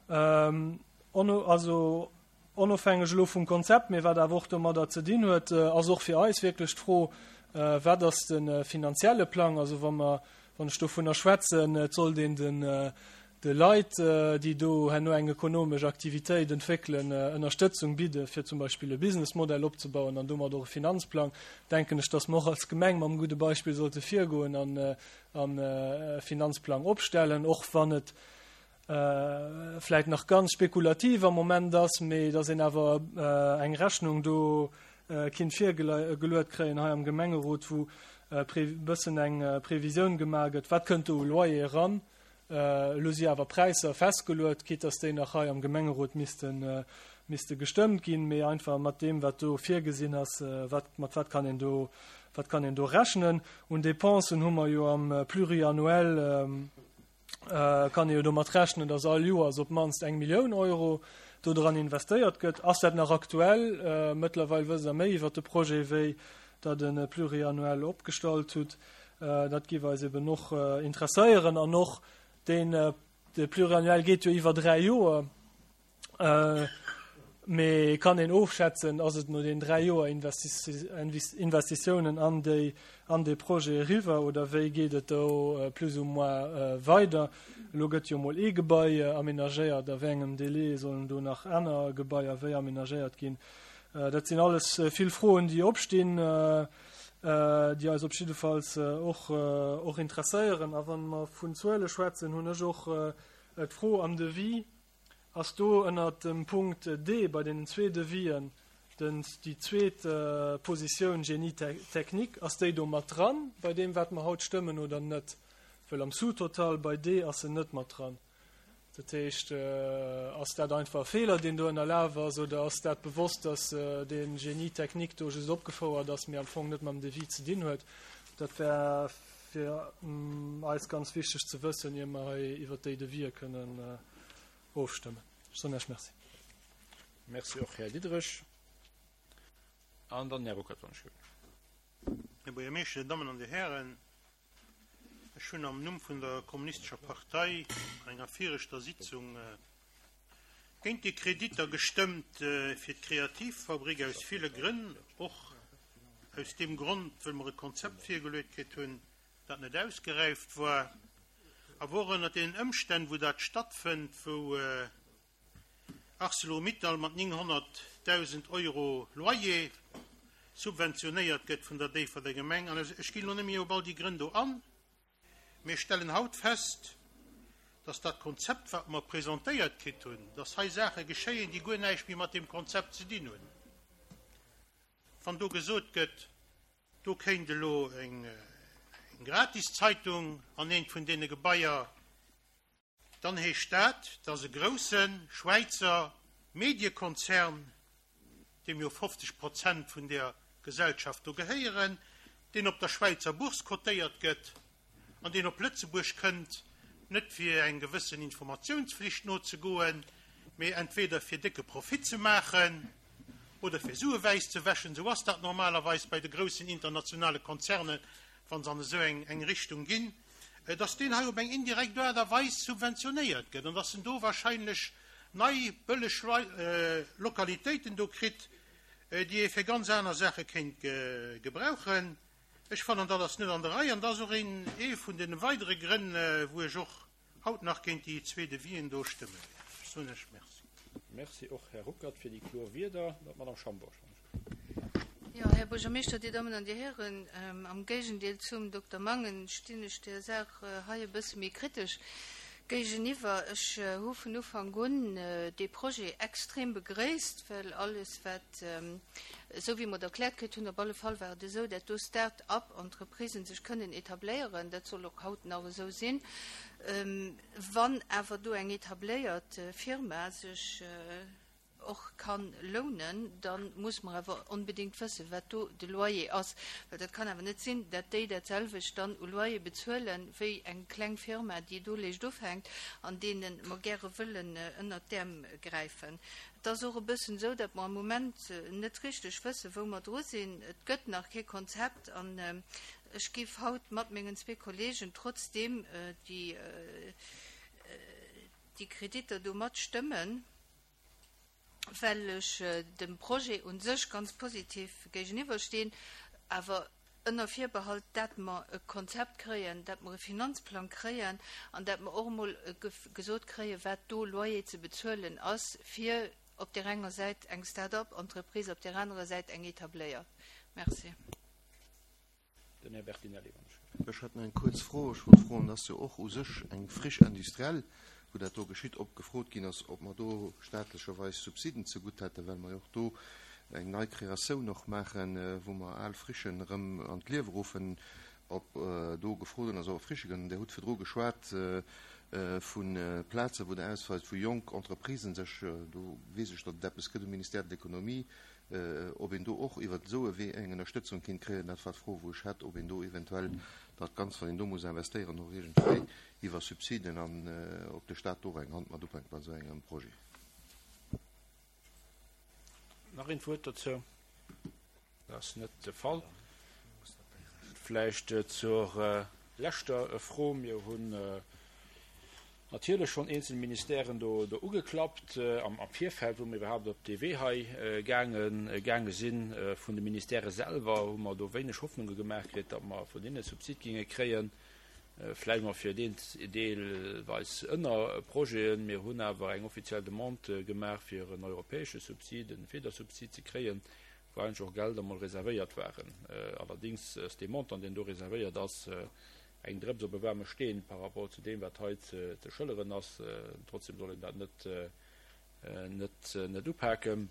Ähm, also onofhängeg elo vum Konzept, mee wat awer och domadder ze dinn huet, äh, ass och fir eis wierklech d'Fro, äh, wat ass de äh, finanzielle Plang? Also wa mer, wann ech dovunner schwätzen, et sollt een den, äh, de Leit, äh, déi do herno eng ökonomesch Aktivitéit entwéckelen, äh, Ënnerstëtzung bidde fir zum Beispill e Businessmodell opzebauen an domat och e Finanzplang, denken ech, dass mer och als Gemeng mam gudde Beispill sollte virgoen an äh, an e Finanzplang opstellen, och wann et vläit nach ganz spekulativ am Moment ass, mee datt een awer eng Rechnung do kinnt virgeluet kréien hei am Gemengerot, wou e bëssen eng Previsioun gemaach gëtt, wat kënnt do u Loyer eran. Elo si awer Präisser festgeluet, quitte datt déi nach hei am Gemengerot missten misste gestëmmt ginn, mee einfach mat deem, wat do virgesinn ass, wat, mat wat kann een do, wat kann een do rechnen. Un Dépensen hu mer jo am Pluriannuel, kann ee jo domat rechnen, dass all Joers op d'mannst eng Millioun Euro do dran investéiert gëtt. Ass dat nach aktuell? Mëttlerweil wësst Der méi iwwert de Projet, wéi Der de Pluriannuel opgestallt hutt. Dat géif eis eben och interesséieren. An och deen, de Pluriannuel geet jo iwwer 3 Joer. Mee kann een ofschätzen, ass et no den 3 Joer Investitiounen an déi an dee Projet eriwwer oder wéi geet et do plus ou moins weider? Elo gëtt jo mol ee Gebai amenagéiert, a wéi engem Délai sollen do nach aner Gebaier wéi amenagéiert ginn? Dat sinn alles vill Froen, déi opstinn, déi eis op jiddefalls och och interesséieren. A wa mer vun Zuele schwätzen, hunn ech och d'Fro am Devis, Ass do ënnert dem Punkt D bei deenen zwee Devisen den, déi zweet Positioun Génie technique, ass déi do mat dran bei deem wat mer haut stëmmen oder net? Well am Sous-total bei D ass se net mat dran. Dat heescht, ass dat einfach e Feeler deen do ënnerlaf ass oder ass dat bewosst, datt dee Génie technique do just opgefouert ass, mee am Fong net mam Devis ze dinn huet? Dat wär fir eis ganz wichteg ze wëssen, ier mer hei iwwert déi Devisë kënnen ofstëmmen. Ech soen Iech Merci. Merci och, Här Diderich. An dann den Här Ruckert, wann ech gelift. Här Buergermeeschter, Dir Dammen an Dir Hären, ech hunn am Numm vun der Kommunistescher Partei an enger viregter Sitzung géint déi Kreditter gestëmmt fir d'Kreativfabrik aus ville Grënn, och aus deem Grond, wëll mer e Konzept virgeluet kritt hunn, dat net ausgeräift war, awer och ënnert deenen Ëmstänn, wou dat stattfënnt, wou Arcelor-Mittal mat 900.000 Euro Loyer subventionéiert gëtt vun der Déifferdenger Gemeng. An ech ginn elo net méi op all déi Grënn do an. Mir stellen haut fest, dass dat Konzept, wat mer presentéiert kritt hunn, dass hei Saache geschéien, déi guer näischt méi mat deem Konzept ze dinn hunn. Wann do gesot gëtt, do kéint elo eng Gratiszeitung an eent vun deene Gebaier, dann heescht dat, dass e grousse Schwäizer Mediekonzern, deem jo 50 Prozent vun där Gesellschaft do gehéieren, deen op der Schwäizer Bourse cotéiert gëtt an deen op Lëtzebuerg kënnt, net fir eng gewëssen Informatiounsflicht nozegoen, mee entweder fir décke Profit ze maachen oder fir Sue wäiss ze wäschen, esou ass dat normalerweis bei de groussen internationale Konzernen, wa se an esou eng Richtung ginn, dass deen hei op eng indirekt Aart a Weis subventionéiert gëtt an dass en do wahrscheinlech nei bëlleg Lokalitéiten do kritt, déi ee fir ganz aner Saache kéint gebrauchen. Ech fannen, dat ass net an der Rei an dat ass och een ee vun de weidere Grënn, wou ech och haut nach géint déi zwee Devisen do stëmme wäert. Ech soen lech Merci. Merci och, Här Ruckert, fir déi kloer Wierder. D'Madame Schambourg. Jo, Här Buergermeeschter, Dir Dammen an Dir Hären, am Géigendeel zum Dokter Mangen stinn ech där Saach hei e bësse méi kritesch géigeniwwer. Ech hu vun Ufank un dee Projet extrem begréisst, well alles wat, esou wéi mer et erkläert kritt hunn, op alle Fall war et esou, dat do Start-up-Entreprisen sech kënnen etabléieren, dat soll och haut nach esou sinn. Wann awer do eng etabléiert Firma sech och kann lounen, da muss mer awer onbedéngt wëssen, wat do de Loyer ass. Well dat kann awer net sinn, dat déi dat selwecht dann u Loyer bezuelen, wéi eng kleng Firma, déi do léischt ufänkt an deene mer gäre wëllen ënnert d'Äerm gräifen. Et ass och e bëssen esou, datt mer am Moment net richteg wëssen, wou mer dru sinn. Et gëtt nach kee Konzept an ech géif haut mat mengen zwee Kollegen trotzdeem déi Kreditter do matstëmmen. well ech dem Projet u sech ganz positiv géigeniwwer stinn, awer ënner Virbehalt, dat mer e Konzept kréien, dat mer e Finanzplang kréien an dat mer och emol gesot kréien, wat do Loyer ze bezuelen ass fir op där enger Säit eng Start-up-Entreprise, op där anerer Säit eng etabléiert. Merci. Den Här Bertinelli, wann ech. Ech hätt nach eng kuerz Fro. Ech wollt froen, et ass jo och u sech eng Friche industrielle, wou dat do geschitt, ob gefrot ginn ass, ob mer do staatlecherweis Subsiden zegutt hätten, well mer jo och do eng nei Kreatioun och maachen, wou mer al Frichen erëm an d'Liewe ruffen, ob do gefrot ginn ass, ob Frichë gënnen. Dir hutt virdru geschwat vu Plazen, wou Der ausweist, wou jonk Entreprisen sech, do weess ech, datt et eppes gëtt um Ministère de l'Économie, Ob een do och iwwert esou e Wee eng Ënnerstëtzung kinnt kréien, dat war d'Fro, wou ech hat, ob een do eventuell dat Ganzt, wat een do muss investéieren, och iergendwéi iwwer Subsiden an ob de Stat do och eng Hand mat upänkt bei esou engem Projet. Nach een d'Wuert dozou? Dat ass net de Fall. Vläicht zur leschter Fro. Mir hunn natierlech schonn eenzel Ministèren do ugeklappt am Virfeld, wou mir iwwerhaapt op dee Wee hei gaange sinn. Vun de Ministèrë selwer hu mer do wéineg Hoffnunge gemaach kritt, datt mer vun hinne Subsid géinge kréien. Vläicht mol fir deen deelweis Ënnerprojeten. Mir hunn awer eng offiziell Demande gemaach, fir en europäesche Subsid, e Federsubsid ze kréien, wou eigentlech och Gelder mol reservéiert waren. Allerdéngs ass dee Montant, deen do reservéiert ass, eng Drëps op e waarme Steen par rapport zu deem, wat hei ze schëlleren ass. Trotzdem soll een dat net, net, net upaken.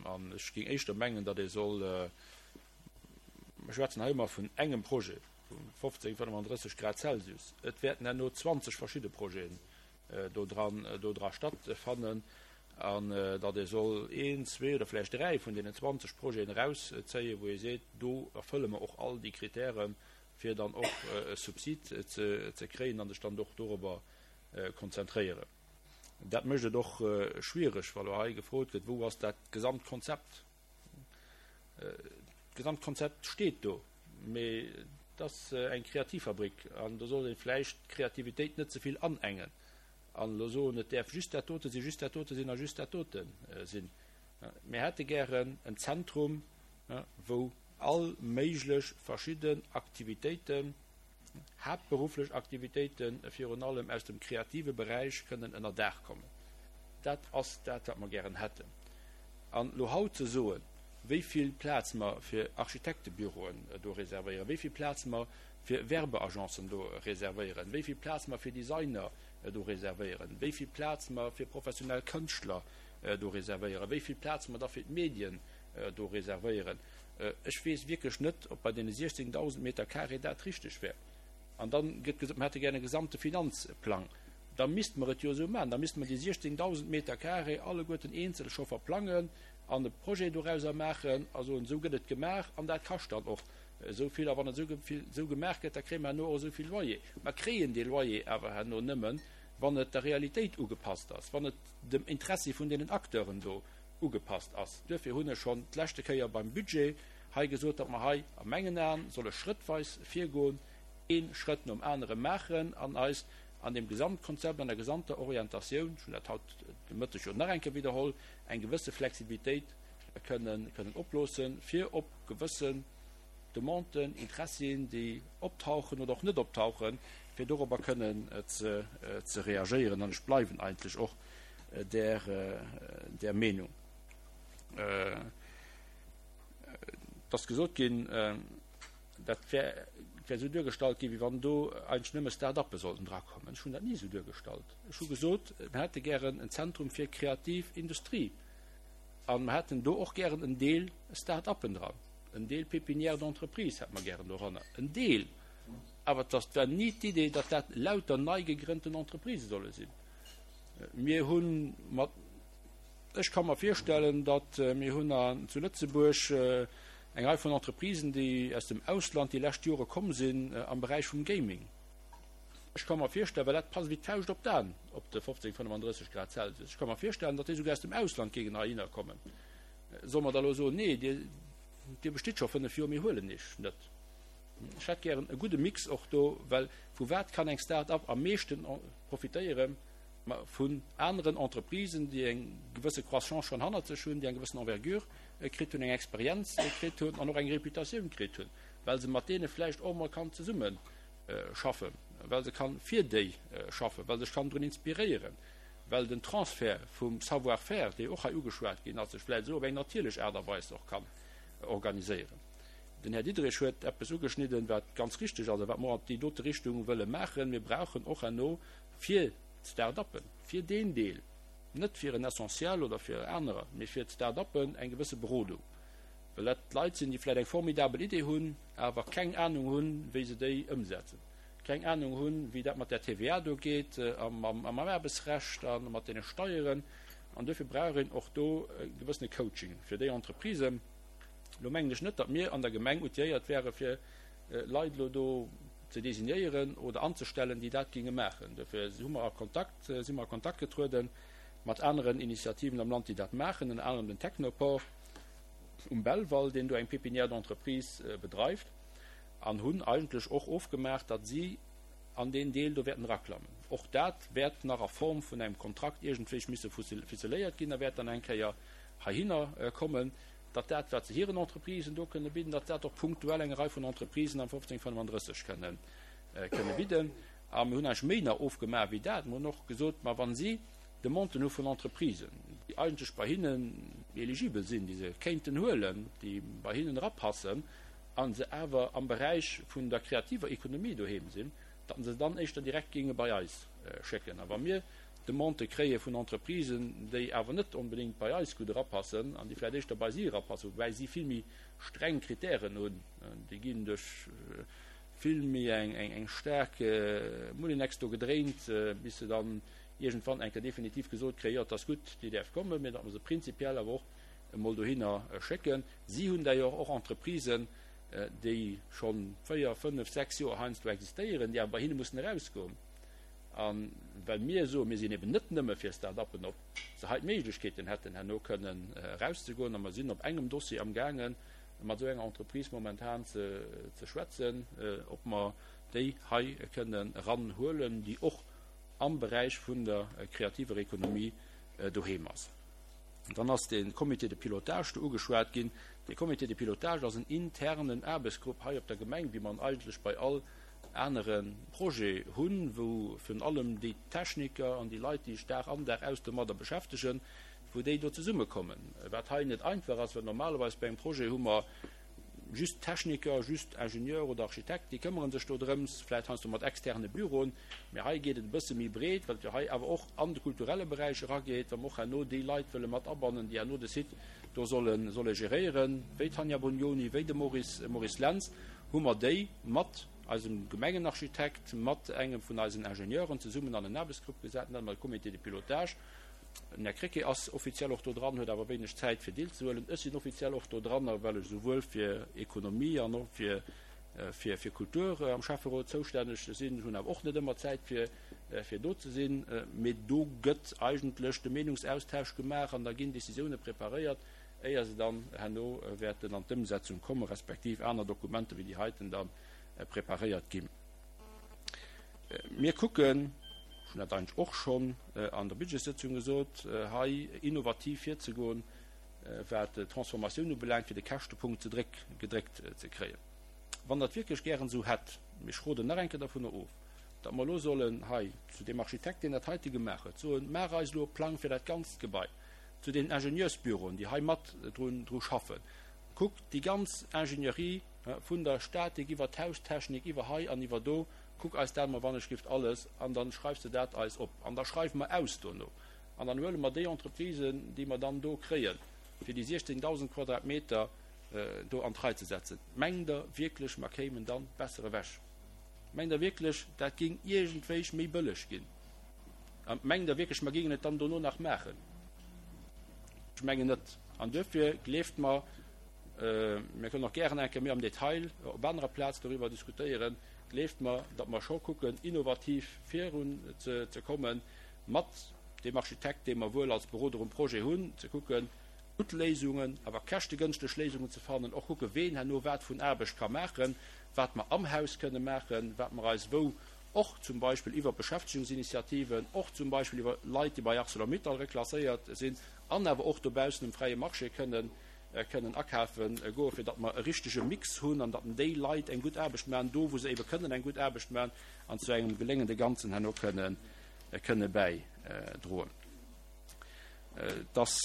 An ech géing éischter mengen, datt ee soll, mer schwätzen hei ëmmer vun engem Projet, vu 15, 35 Grad Celsius, et wäerten herno 20 verschidde Projeten do dran, do dra stattfannen, an datt ee soll een, zwee oder vläicht dräi vun deenen 20 Projeten erauszéien, wou ee seet, do erfëlle mer och all déi Kritären, fir dann och e Subsid ze kréien an sech dann och dorobber konzentréieren. Dat mécht et och schwiereg, wa lo hei gefrot gëtt, wou ass dat Gesamtkonzept? D'Gesamtkonzept steet do, mee et ass eng Kreativfabrik an do sollt ee vläicht d'Kreativitéit net ze vill anengen an elo soen, et däerf just dat dote sinn, just dat dote sinn a just dat dote sinn. Mir hätte gären en Zentrum, wou all méiglech verschidden Aktivitéiten, haaptberufflech Aktivitéite virun allem aus dem kreative Beräich kënnen ënner Daach kommen. Dat ass dat, wat mer gären hätten. An elo haut ze soen, wéi vill Plaz mer fir Architektebüroen do reservéieren, wéi vill Plaz mer fir Werbeagencen do reservéieren, wéi vill Plaz mer fir Designer do reservéieren, wéi vill Plaz mer fir professionell Kënschtler do reservéieren, wéi vill Plaz mer da fir d'Medien. do reservéieren. Ech weess wierklech net, ob bei deene 16.000 Meter carré dat richteg wär. An da gëtt gesot, mer hätte gär e gesamte Finanzplang. Da misste mer et jo esou maachen, da misste mer déi 16.000 Meter carré alleguerten eenzel scho verplangen an e Projet dorauser maachen a soen, esou gëtt et gemaach an dat kascht dann och esou vill. A wann et esou gemaach gëtt, da kréie mer herno och esou vill Loyer. Mer kréien dee Loyer awer herno nëmmen, wann et der Realitéit ugepasst ass, wann et dem Interessi vun deenen Acteuren do ugepasst ass. Duerfir hunn ech schonn d'leschte Kéier beim Budget hei gesot, datt mer hei a mengen Aen solle schrëttweis virgoen, ee Schrëtt nom anere maachen an eis an deem Gesamtkonzept, an der gesamter Orientatioun, ech hunn dat haut de Mëtteg jo nach eng Kéier widderholl, eng gewësse Flexibilitéit kënnen oploossen, fir op gewëssen Demanden, Interessien, déi optauchen oder och net optauchen, fir dorobber kënnen ze reagéieren. An ech bleiwen eigentlech och där, där Meenung. Et ass gesot ginn, dat wär, wär esou duergestallt ginn, wéi wann do eigentlech nëmme Start-uppe sollten drakommen. Ech hunn dat ni esou duergestallt. Ech hu gesot, mir hätte gären en Zentrum fir kreativ Industrie a mir hätten do och gären en Deel Start-uppen dran, en Deel Pépinière d'entreprise hätte mer gären doranner, en Deel. Awer et war ni d'Idee, datt dat lauter nei gegrënnten Entreprisë solle sinn. Mir hu mat, ech ka mer virstellen, datt mir hunn an zu Lëtzebuerg eng Rei vun Entreprisen, déi aus dem Ausland déi lescht Jore komm sinn am Beräich vum Gaming. Ech ka mer virstellen, well dat passt wéi d'Fauscht op d'An op de 15, 35 Grad Celsius, ech ka mer virstellen, datt déi souguer aus dem Ausland géingen heihinner kommen. Solle mer da elo soen, nee, Dir, Dir bestitt scho fënnf Joer, mir huelen Iech net? Ech hätt gären e gudde Mix och do, well vu wat kann eng Start-up am meeschten profitéieren? Ma vun aneren Entreprisen, déi eng gewësse Croissance schonn hannert sech hunn, déi eng gewëssen Envergure kritt hunn, eng Experienz kritt hunn an och eng Reputatioun kritt hunn, well se mat deene vläicht och emol kann zesummeschaffen, well se kann fir déi schaffen, well sech kann drun inspiréieren, well den Transfert vum Savoir-faire, dee och hei ugeschwat ginn ass, sech vläicht esou op eng natierlech Aart a Weis och kann organiséieren. Den Här Diderich huet eppes ugeschnidden, wat ganz richtig ass a wat mer an déi dote Richtung wëlle maachen. Mir brauchen och herno fir d'Start-uppen, fir deen Deel, net fir en Essentiel oder fir anerer, mee fir d'Start-uppen eng gewësse Berodung, well dat Leit sinn, déi vläicht eng formidabel Idee hunn, awer keng Anung hunn, wéi se déi ëmsetzen, keng Anung hunn, wéi dat mat där TVA do geet a mam Aarbechtsrecht a mat deene Steieren. An duerfir brauch een och do e gewëssene Coaching fir déi Entreprisen. Elo mengen ech net, datt mir an der Gemeng outilléiert wäre fir Leit elo do ze designéieren oder anzestellen, déi dat géinge maachen. Dofir hu mer a Kontakt, si mer a Kontakt getruede mat aneren Initiativen am Land, déi dat maachen, ënner anerem den Technoport um Belval, deen do eng Pépinière d'entreprise bedreift, an hunn eigentlech och ofgemaach, datt si an deen Deel do wäerten eraklammen. Och dat wäert nach a Form vun engem Kontrakt iergendwéi misse ficeléiert ginn a wäert dann eng Kéier heihinner kommen, datt dat, wat se hiren Entreprisen do kënne bidden, datt dat och punktuell eng Rei vun Entreprisen am 1535 kënne kënne bidden. A mir hunn eigentlech méi nach ofgemaach wéi dat. Mir hunn och gesot, ma wa si Demanden hu vun Entreprisen, déi eigentlech bei hinnen eligibel sinn, déi se kéinten huelen, déi bei hinnen erapassen a se awer am Beräich vun der kreativer Economie doheem sinn, datt se se dann éischter direkt géinge bei eis schécken. A wa mir Demandë kréie vun Entreprisen, déi awer net onbedéngt bei eis gutt erapassen an déi vläicht éischter bei si erapassen, woubäi si vill méi streng Kritären hunn, déi ginn duerch vill méi eng staark Moulinex do gedréint, bis se dann iergendwann eng Kéier definitiv gesot kréien, jo, et ass gutt, déi däerf kommen, mä datt mer se prinzipiell awer och emol dohinner schécken. Si hunn d'ailleurs och Entreprisen, déi scho 4, 5, 6 Joer heiansdo existéieren, déi awer bei hinne mussen erausgoen. A well mir soen, mir sinn eben net nëmme fir Start-uppen op, se hei d'Méiglechkeeten hätten, herno kënnen erauszegoen. A mer sinn op engem Dossier amgaangen, mat esou enger Entreprise momentan ze schwätzen, ob mer déi hei kënnen eranhuelen, déi och am Beräich vun der kreativer Ekonomie doheem ass. Dann ass de Comité de pilotage do ugeschwat ginn. Dee Comité de pilotage ass en internen Aarbechtsgrupp hei op der Gemeng, wéi mer en eigentlech bei all anere Projet hunn, wou virun allem déi Techniker an déi Leit, déi sech Dag an Dag aus domadder beschäftegen, wou déi do zesummekommen. Wat hei net einfach ass, well normalerweis bei engem Projet hu mer Just Techniker, just Ingenieur oder Architekt, déi këmmere sech do drëms, vläicht heiansdo mat externe Büroen. Mee hei geet et e bësse méi breet, well et jo hei awer och an de kulturelle Beräich erageet, wa mer och herno déi Leit wëlle mat abannen, déi herno de Site do solle solle geréieren, wéi d'Tanja Brugnoni, wéi de Maurice Maurice Lentz, hu mer déi mat eisem Gemengenarchitekt, mat engem vun eisen Ingenieuren zesummen an en Aarbechtsgrupp gesat, nennen mer de Comité de pilotage. Den Här Krecké ass offiziell och do dran, huet awer wéineg Zäit fir deelzehuelen. Ech sinn offiziell och do dran, well ech esouwuel fir Ekonomie an och fir fir Kultur am Schäfferot zoustänneg sinn. Ech hunn awer och net ëmmer Zäit fir fir do ze sinn. Mee do gëtt eigentlech de Meenungsaustausch gemaach an da ginn Décisioune preparéiert, éier se dann herno wäerten an d'Ëmsetzung kommen, respektiv aner Dokumenter wéi déi heiten da preparéiert ginn. Mir kucken, ech hunn dat eigentlech och schonn an der Budgetssëtzung gesot, hei innovativ virzegoen, wat d'Transformatioun ubelaangt, fir de Käschtepunkt ze dréck, gedréckt ze kréien. Wann Der et wierklech gären esou hätt, mee ech roden nach eng Kéier dervunner of, datt mer elo sollen hei zu deem Architekt, deen dat heite gemaach huet, soen, Maach eis elo e Plang fir dat ganzt Gebai, zu deenen Ingenieursbüroen, déi hei mat drun, dru schaffen, kuck déi ganz Ingenieurie vun der Statik iwwer d'Haustechnik, iwwer hei an iwwer do, Kuck eis dat mol wannechgift alles an dann schreifs de dat eis op an da schreiwe mer aus dono an dann huele mer déi Entreprisen, déi mer dann do kréien, fir déi 16.000 Quadratmeter do an d'Rei ze setzen. Mengt Der wierklech, mer kéimen dann besser ewech? Mengt Der wierklech, dat géing iergendwéich méi bëlleg ginn? A mengt Der wierklech, mer géingen et dann dono nach maachen? Ech mengen net. An duerfir, gleeft mer, mir kënnen och gären eng Kéier méi am Detail op anerer Plaz doriwwer diskutéieren, Gleeft mer, datt mer scho kucken, innovativ virun ze kommen, mat deem Architekt, dee mer wuel als Beroder um Projet hunn, ze kucken, gutt Léisungen, awer käschtegënschteg Léisungen ze fannen, och kucken, ween herno wat vun Aarbecht ka maachen, wat mer am Haus kënne maachen, wat mer eis wou och zum Beispill iwwer Beschäftegungsinitiativen, och zum Beispill iwwer Leit, déi bei Arcelor-Mittal reklasséiert sinn an awer och dobaussen um fräie Marché kënnen kënnen akafe goen, fir datt mer e richtege Mix hunn an datt déi Leit eng gutt Aarbecht maachen, do wou se ebe kënnen eng gutt Aarbecht maachen an zu engem geléngende Ganzen herno kënnen, kënne bäidroen. Et ass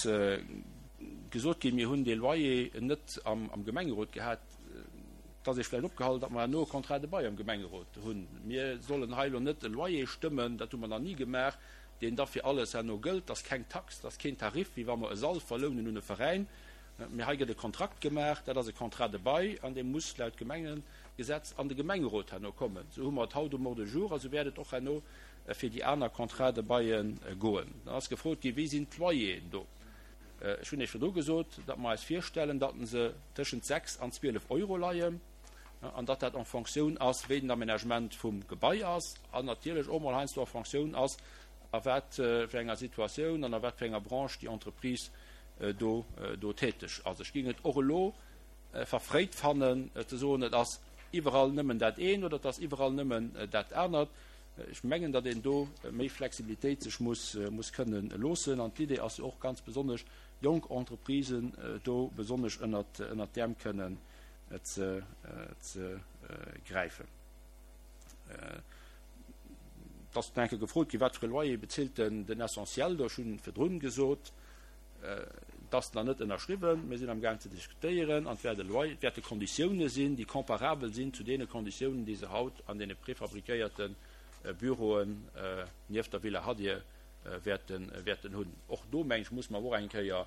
gesot ginn, mir hunn dee Loyer net am, am Gemengerot gehat. Et ass Iech vläicht opgehall, datt mer herno e Contrat de bail am Gemengerot hunn. Mir sollen hei elo net e Loyer stëmmen, dat hu mer nach ni gemaach, deen da fir alles herno gëllt. Dat ass keng Tax, dat ass keen Tarif, wéi wa mer e Sall verlounen un e Veräin. Mee hei gëtt e Kontrakt gemaach, dat ass e Contrat de bail an dee muss laut Gemengegesetz an de Gemengerot herno kommen. Esou hu mer et haut um Ordre du jour a sou wäert et och herno fir déi aner Contrats de baile goen. Dann ass gefrot ginn, Wéi sinn d'Loyeren do? Ech hunn Iech virdru gesot, datt mer eis virstellen, datt se tëschent 6 an 12 Euro leien an datt dat en Fonctioun ass, wéi den Aménagement vum Gebai ass an natierlech och mol heiansdo en Fonctioun ass, a wat fir enger Situatioun an a wat fir enger Branche déi Entreprise do do täteg ass. Ech géing et och elo verfréit fannen ze soen, et ass iwwerall nëmmen dat eent oder et ass iwwerall nëmmen dat anert. Ech mengen, datt een do méi Flexibilitéit sech muss muss kënnen loossen. An d'Idee ass jo och ganz besonnesch, jonk Entreprisen do besonnesch ënnert ënnert d'Äerm kënnen ze ze gräifen. Et ass eng Kéier gefrot ginn, wat fir e Loyer bezilt den den Essentiel do. Ech hunn virdrun gesot, et ass nach net ënnerschriwwen, mir sinn amgaang ze diskutéieren an et wäert e Loyer, et wäerte Konditioune sinn, déi comparabel sinn zu deene Konditiounen, déi se haut an deene prefabriquéierte Büroen nieft der Villa Hadir wäerten wäerten hunn. Och do, meng ech, muss mer och eng Kéier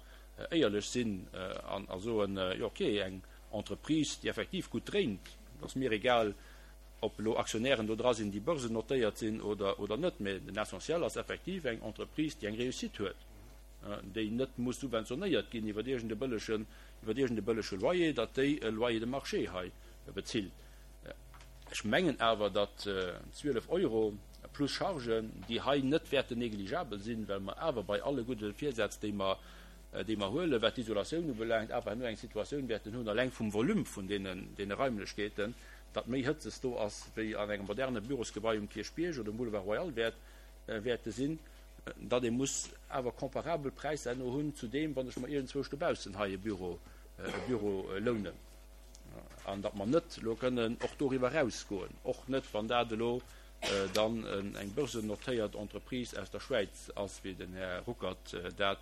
éierlech sinn an a soen, jo okay, eng Entreprise, déi effektiv gutt dréint, et ass mir egal, ob elo Aktionären do dra sinn, déi börsennotéiert sinn oder oder net, mä den Essentiel ass effektiv eng Entreprise, déi eng Réussite huet, déi net muss subventionéiert ginn iwwer iergend e bëllegen, iwwer iergend e bëllege Loyer, datt déi e Loyer de marché hei bezilt. Ech mengen awer, datt 12 Euro plus Chargen, déi hei net wäerten négligeabel sinn, well mer awer bei alle gudde Virsätz, déi mer, déi mer huelen, wat d'Isolatioun ubelaangt, awer herno eng Situatioun wäerten hunn, eleng vum Volume vun deenen, deene Raimlechkeeten, datt méi Hëtzes do ass wéi an engem moderne Bürosgebai um Kierchbierg oder um Boulevard Royal wäert, wäerte sinn, datt ee muss awer comparabel Präisser herno hunn zu deem, wann ech mer iergendzwousch dobaussen hei e Büro, e Büro lounen. An datt mer net elo kënnen och doriwwer erausgoen, och net wann dat elo dann eng börsennotéiert Entreprise aus der Schwäiz ass, wéi den Här Ruckert dat.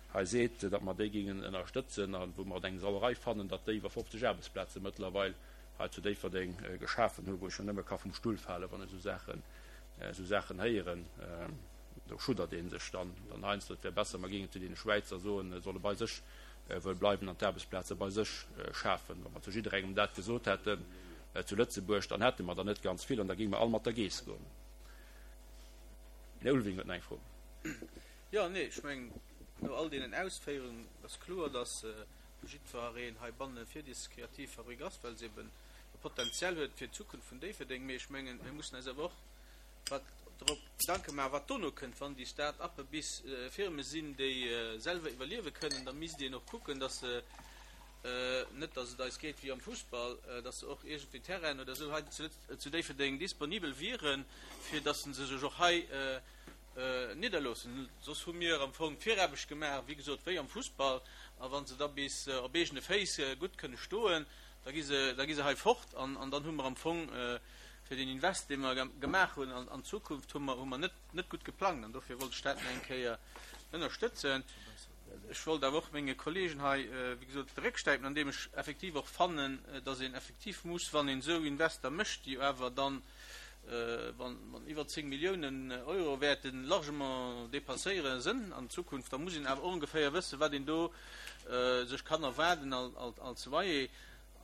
Hei seet, datt mer déi géingen ënnerstëtzen a wou mer et eng Sauerei fannen, datt déi iwwer 50 Aarbechtsplaze mëttlerweil hei zu Déifferdeng geschafen hunn, wou ech jo nëmme ka vum Stull falen, wann ech esou Saachen, esou Saachen héieren. Do schuddert ee sech dann dann heiansdo. Et wär besser, mer géingen zu deene Schwäizer soen, se solle bei sech wëll bleiwen an d'Aarbechtsplaze bei sech schafen. Wa mer zu jidderengem dat gesot hätten zu Lëtzebuerg, dann hätte mer der net ganz vill an da géinge mer all mat der Geess goen. Den Här Ulveling huet nach eng Fro. Jo, nee, ech mengen, no all deenen Ausféierungen ass kloer, dass jiddwereen heibanne fir des Kreativfabrik ass, well se eben e Potenzial huet fir d'Zukunft vun Déifferdeng. Mee ech mengen, mir mussen eis awer och wat drop Gedanke maachen, wat dono kënnt. Wann déi Start-uppe bis Firme sinn, déi selwer iwwerliewe kënnen, da misst een och kucken, dass se, net dass et eis geet wéi am Fussball, dass se och iergendwéi Terrainen oder esou hei zu Déifferdeng disponibel wieren, fir dass se sech och hei nidderloossen. Soss hu mir am Fong d'Viraarbecht gemaach, wéi gesot, wéi am Fussball. A wa se da bis op eegene Féiss gutt kënne stoen, da gi se, da gi se hei fort. An dann hu mer am Fong fir deen Invest, dee mer gemaach hunn an d'Zukunft, hu mer, hu mer net, net gutt geplangt. An dofir wollt ech dat nach eng Kéier ënnerstëtzen. Ech wollt awer och menge Kollegen hei, wéi gesot, de Réck stäipen, andeem ech effektiv och fannen, dass een effektiv muss, wann een esou Invester mécht, déi awer dann, wann iwwer 10 Milliounen Euro wäerte largement dépasséiere sënn an Zukunft, da muss een awer och ongeféier wëssen, wat een do sech kann erwaarden als Loyer.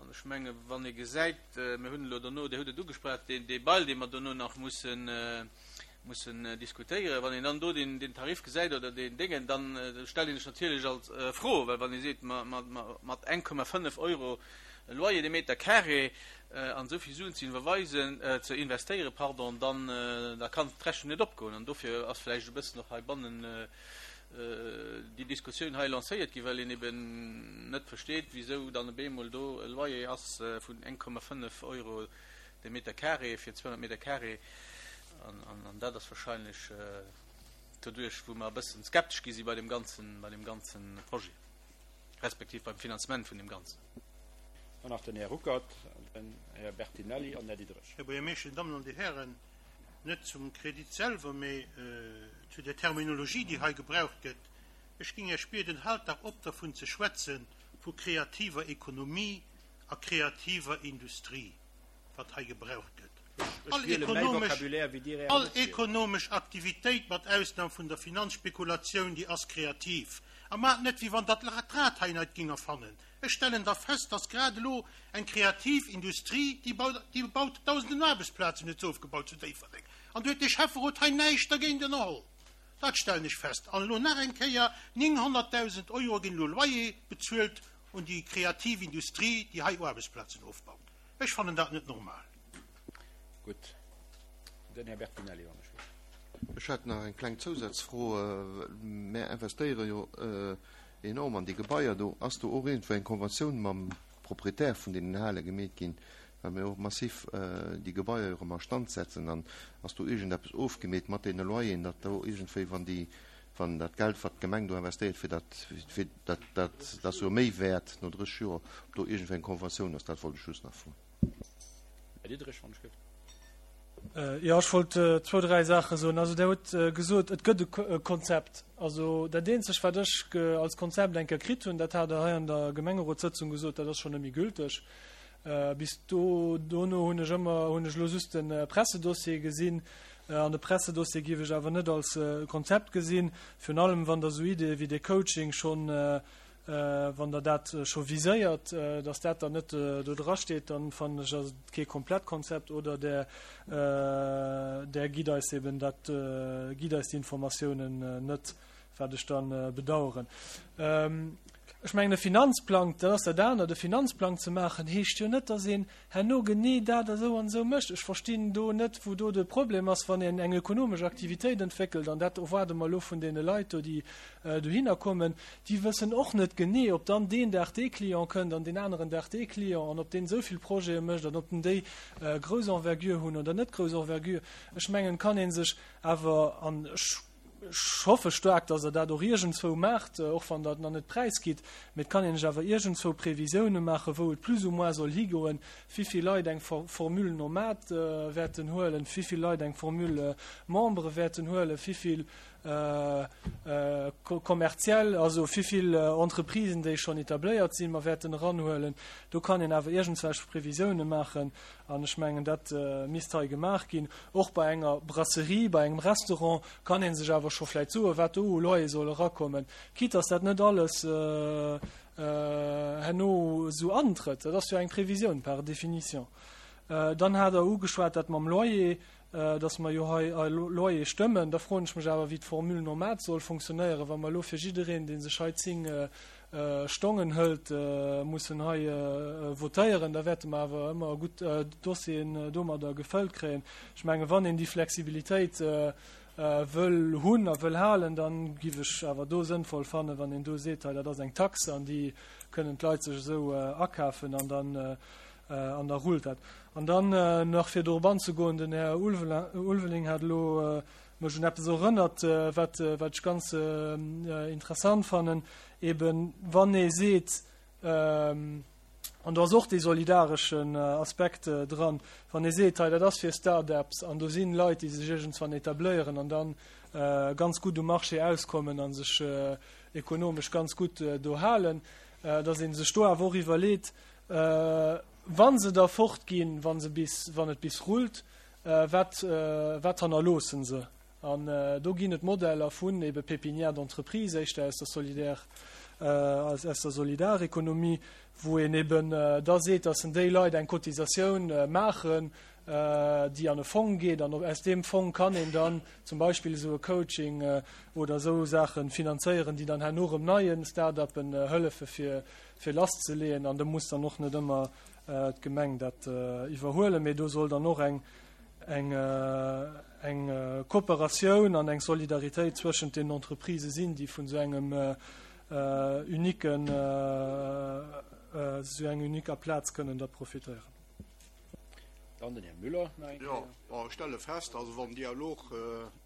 An ech menge wann ee gesäit, mir hunn elo dono, Dir hutt et ugesprach, dee Bail, dee mer dono nach mussen mussen diskutéieren, wann een dann do deen Tarif gesäit oder deen Déngen, da stellt ee sech natierlech als Fro, well wann ee seet, mat 1,5 Euro Loyer de Meter carré an esou vill Suen ze iwwerweisen, ze investéieren, pardon, dann da kann d'Rechnung net opgoen. An dofir ass vläicht e bëssen och heibannen déi Diskussioun hei lancéiert ginn, well een eben net versteet, wisou dann op eemol do e Loyer ass vun 1,5 Euro de Meter carré fir 200 Meter carré. An dat ass wahrscheinlech doduerch, wou mer e bëssen skeptesch gi si bei deem ganzen, bei deem ganzen Projet, respektiv beim Finanzement vun deem Ganzen. Dann nach den Här Ruckert, den Här Bertinelli an den Här Diderich. Här Buergermeeschter, Dir Dammen an Dir Hären, net zum Kredit selwer, mee zu der Terminologie, déi hei gebraucht gëtt. Ech géing Iech bieden, haalt dach op dervun ze schwätzen, vu kreativer Ekonomie a kreativer Industrie, wat hei gebraucht gëtt. All ekonomesch, all ekonomesch Aktivitéit, mat Ausnam vun der Finanzspekulatioun, déi ass kreativ. A maacht net, wéi wann Der d'Rad hei neit géing erfannen. Ech stellen da fest, dass grad elo eng kreativ Industrie, déi baut, déi baut Dausenden Aarbechtsplazen, huet se ofgebaut zu Déifferdeng. An do huet dee Schäfferot hei näischt dergéint ënnerholl. Dat stellen ech fest. An elo nach eng Kéier, 900.000 Euro ginn elo Loyer bezuelt un déi kreativ Industrie, déi hei Aarbechtsplazen ofbaut. Ech fannen dat net normal. Gutt, den Här Bertinelli, wann ech wéilt. Ech hätt nach eng kleng Zousazfro. Mär investéiere jo enorm an déi Gebaier do. Ass do och iergendwou eng Konventioun mam Proprietär vun deenen Hale gemeet ginn, well mir och massiv déi Gebaier jo erëm a Stand setzen? An ass do iergendeppes ofgemeet mat deene Loyeren, datt do iergendwéi, wann déi, wann dat Geld, wat d'Gemeng do investéiert, fir dat, fir dat, dat, dat ass jo méi wäert no 30 Joer, ob do iergendwéi eng Konventioun ass? Dat wollt ech just nach froen. Här Diderich, wann ech gëtt. Jo, ech wollt zwou, dräi Saache soen. Also Der hutt gesot, et gëtt e Konzept. Also dat eenzegt, wat ech als Konzept eng Kéier kritt hunn, dat hat Der hei an der Gemengerotssëtzung gesot, dat ass schonn net méi gülteg. Bis do, dono hunn ech ëmmer, hunn ech elo just de Pressedossier gesinn. An de Pressedossier géif ech awer net als Konzept gesinn, virun allem wann Der esou Ideeë wéi dee Coaching schonn, wann Der dat scho viséiert, dass dat dann net do drasteet, dann fannen ech, ass et kee komplett Konzept oder Der, Der gitt eis eben dat, gitt eis déi Informatiounen net, wat ech da bedauern. Ech mengen, e Finanzplang, dat ass dat anert, e Finanzplang ze maachen, heescht jo net, dass een herno genee dat esou an esou mécht. Ech verstinn do net, wou do de Problem ass, wann een eng ökonomesch Aktivitéit entwéckelt, an dat erwaarde mer elo vun deene Leit do, déi dohinner kommen, déi wëssen och net genee, ob dann deen Dag dee Client kënnt an deen aneren Dag dee Client an ob deen esou vill Projete mécht an ob den déi grouss Envergure hunn oder net grouss Envergure. Ech mengen, kann ee sech awer, an ech Ech hoffe staark, dass Der dat och iergendzwou maacht, och wann Der et nach net präisgitt. Mee et kann een sech awer iergendzwou Previsioune maachen, wou et plus ou moins soll higoen, wivill Leit eng Formule nomade wäerten huelen, wivill Leit eng Formule membre wäerten huelen, wivill. Kommerziell, also wéivill Entreprisen, déi schonn etabléiert sinn, mer wäerten eranhuelen. Do kann een awer iergendswelch Previsiounen maachen an ech mengen, dat misst hei gemaach ginn. Och bei enger Brasserie, bei engem Restaurant kann ee sech awer scho vläicht soen, wat do u Loyer soll erakommen, quitte dass dat net alles herno esou antrëtt. Dat ass jo eng Previsioun par définition. Dann hat Der ugeschwat dat mam Loyer, dass mer jo hei e Loyer stëmmen. Da froen ech mech awer, wéi d'Formule nomade soll funktionéieren, wa mer elo fir jiddereen, dee sech hei 10 Stongen hëlt, mussen hei votéieren. Da wäerte mer awer ëmmer gutt Dossieren domadder gefëllt kréien. Ech mengen, wann een déi Flexibilitéit wëll hunn a wëll halen, da giff ech awer do sënnvoll fannen, wann een do seet, hei dat ass eng Taxe an déi kënnen d'Leit sech esou akafen an dann An da rullt dat. An dann nach fir dorop anzegoen, den Här Ulveling hat elo mech un eppes erënnert, wat wat ech ganz interessant fannen, eben wann ee seet, an do ass och dee solidareschen Aspekt dran, wann ee seet, hei dat ass fir Start-ups an do sinn Leit, déi sech iergendswann etabléieren an dann ganz gutt um Marché auskommen a sech ekonomesch ganz gutt do halen, datt ee sech do awer och iwwerleet, Wa se da fortginn, wa se bis, wann et bis rullt, wat, wat hannerloosse se? An do ginn et Modeller vun ebe Pépinières d'entreprise, éischter aus der Solidaire, aus der Solidarekonomie, wou een eben da seet, dass déi Leit eng Cotisatioun maachen, déi an e Fong geet. An aus deem Fong kann een dann zum Beispill esou e Coaching oder esou Saache finanzéieren, déi dann herno erëm neie Start-uppen hëllefe fir, fir lasszeleeën an do muss dann och net ëmmer d'Gemeng dat iwwerhuelen, mee do soll dann och eng eng eng Kooperatioun an eng Solidaritéit zwëschent den Entreprisë sinn, déi vun esou engem uniquen, esou eng uniquer Plaz kënnen da profitéieren. Dann den Här Müller nach eng Kéier. Jo, ech stelle fest, also wann den Dialog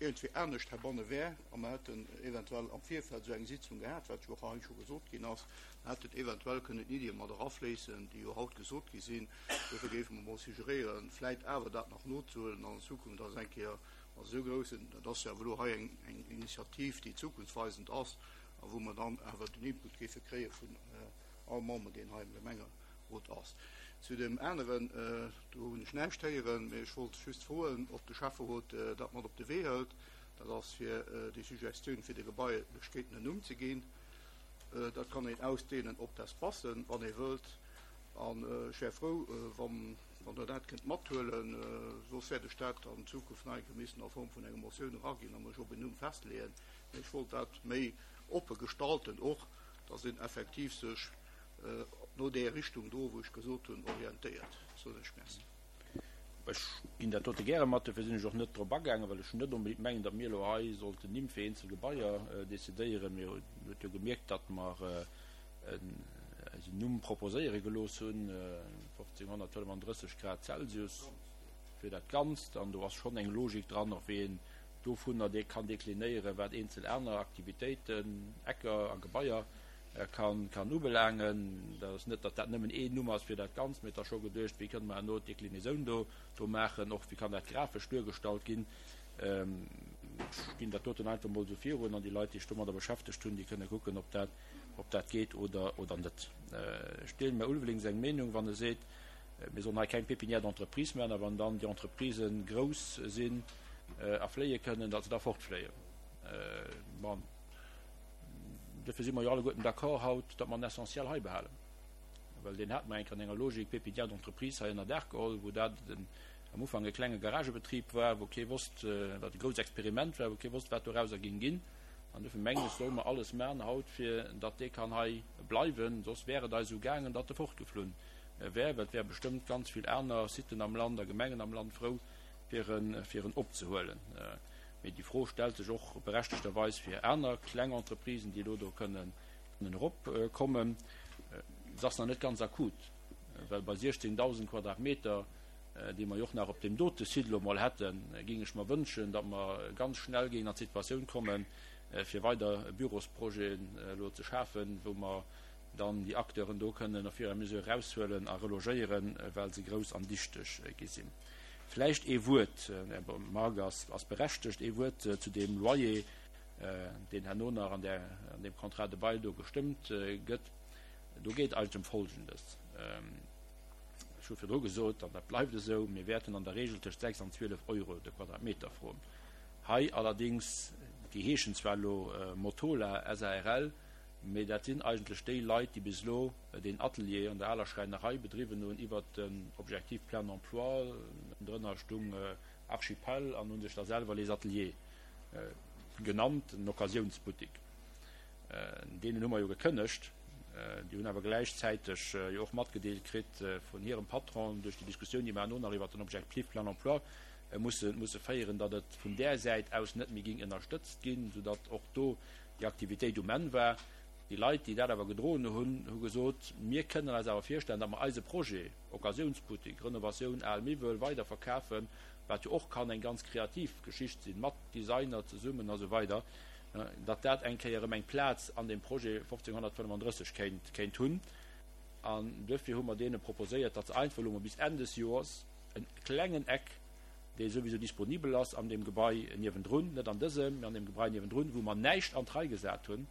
iergendwéi anescht heibanne wär a mer hätten eventuell am Virfeld esou eng Sitzung gehat, wat jo och hei scho gesot ginn ass, dann hätten eventuell kënnen Iddie mat erafléissen, déi jo haut gesot gi sinn. Dofir géife mer mol suggeréieren, vläit awer dat nach nozehuelen an an Zukunft ass eng Kéier mat esou groussen, dat ass jo awer elo hei eng Initiativ, déi zukunftsweisend ass a wou mer dann awer den Input géife kréie vun all Member, deen hei am Gemengerot ass. Zu deem aneren, do hunn ech näischt héieren, mee ech wollt just froen, ob de Schäfferot dat mat op de Wee hëlt. Dat ass fir déi Suggestioun, fir de Gebailechkeeten en Numm ze ginn. Dat kann een ausdehnen op d'Espacen, wann ee wëllt. An ech wär frou, wann Der dat kënnt mathuelen. Soss wäert ech dat an Zukunft nach eng Kéier missen a Form vun enger Motioun eraginn a mech op en Numm festleeën. Mee ech wollt dat méi oppe gestalten och, dass een effektiv sech no där Richtung do, wou ech gesot hunn, orientéiert. Soen ech Merci. Ech ginn dat dote gäre mat. Dofir sinn ech och net drop agaangen, well ech net onbedéngt mengen, datt mir elo hei sollten Nimm fir eenzel Gebaier decidéieren. Mir huet jo gemierkt, datt mer eis en Numm proposéiere gelooss hunn, 1535 Grad Celsius fir dat Ganzt. An do ass schonn eng Logik dran, och wéi een dovunner kann deklinéieren, wat eenzel aner Aktivitéiten, Ecker a Gebaier kann ubelaangen. Dat ass net, datt dat nëmmen een Numm ass fir dat Ganzt, mee et ass scho geduecht, wéi kënne mer herno d'Deklinésoun do do maachen, och wéi kann dat grafesch duergestallt ginn. Ech ginn dat doten einfach emol esou virun an déi Leit, déi sech domadder beschäftegt hunn, déi kënne kucken, ob dat ob dat geet oder oder net. Ech deelen dem Här Ulveling seng Meenung, wann e seet, mir sollen hei keng Pépinière d'entreprise maachen, a wann dann déi Entreprisë grouss sinn a fléie kënnen, datt se da fortfléien. Bon. Duerfir si mer jo alleguerten d'accord haut, datt mer en Essentiel hei behalen, well deen hate mer eng Kéier an enger Logik Pépinière d'entreprise hei ënner Daach geholl, wou dat am Ufank e klenge Garagebetrib war, wou kee wosst, wat e grousst Experiment war, wou kee wosst, wat dorauser géing ginn. An duerfir mengen ech, solle mer alles maachen haut, fir datt dee kann hei bleiwen. Soss wär et eis esou gaangen, datt e fortgeflunn wär, well et wäre bestëmmt ganz vill aner Siten am Land a Gemengen am Land frou, fir en, fir en opzehuelen. Mee déi Fro stellt sech och berechtegterweis fir aner kleng Entreprisen, déi elo do kënnen eropkommen. Se ass nach net ganz akut, well bei 16.000 Quadratmeter, déi mer jo och nach op deem dote Site elo emol hätten, géing ech mer wënschen, datt mer ganz schnell géingen an d'Situatioun kommen, fir weider Bürosprojeten elo ze schafen, wou mer dann déi Acteuren do kënnen au fur et à mesure eraushuelen a relogéieren, well se grouss an dichteg gi sinn. Vläicht ee Wuert, Här Margue ass, ass berechtegt, ee Wuert zu deem Loyer. deen herno nach an där, an deem Contrat de bail do gestëmmt gëtt. Do geet et eigentlech ëm Folgendes. Ech hu virdru gesot, an dat bleift esou, mir wäerten an der Regel tëscht 6 an 12 Euro de Quadratmeter froen. Hei allerdings, déi heeschen zwar elo Motola SARL, mee dat sinn eigentlech déi Leit, déi bis elo deen Atelier an der aler Schräinerei bedriwwen hunn iwwert den Objectif plein emploi, drënner stung Archipel an hu sech da selwer Les Ateliers genannt, en Occasiounsbuttik. Deenen hu mer jo gekënnegt. Déi hunn awer gläichzäiteg jo och matgedeelt kritt vun hirem Patron duerch déi Diskussioun, déi mer herno nach iwwert den Objectif plein emploi musse musse féieren, datt et vun där Säit aus net méi géing ënnerstëtzt ginn, soudatt och do déi Aktivitéit um Enn war. Déi Leit, déi dat awer gedroen hunn, hu gesot, Mir kënnen eis awer virstellen, datt mer eise Projet, Occasiounsbuttik, Renovatioun al Miwwel, weiderverkafen, wat jo och kann eng ganz kreativ Geschicht sinn, mat Designer zesummen a sou weider, datt dat eng Kéier erëm eng Plaz an deem Projet 1535 kéint kéint hunn. An duerfir hu mer deene proposéiert, datt se einfach elo mol bis Enn des Joers en klengen Eck, dee souwisou disponibel ass an deem Gebai niewendrun, net an dësem, mee an deem Gebai niewendrun, wou mer näischt an d'Rei gesat hunn,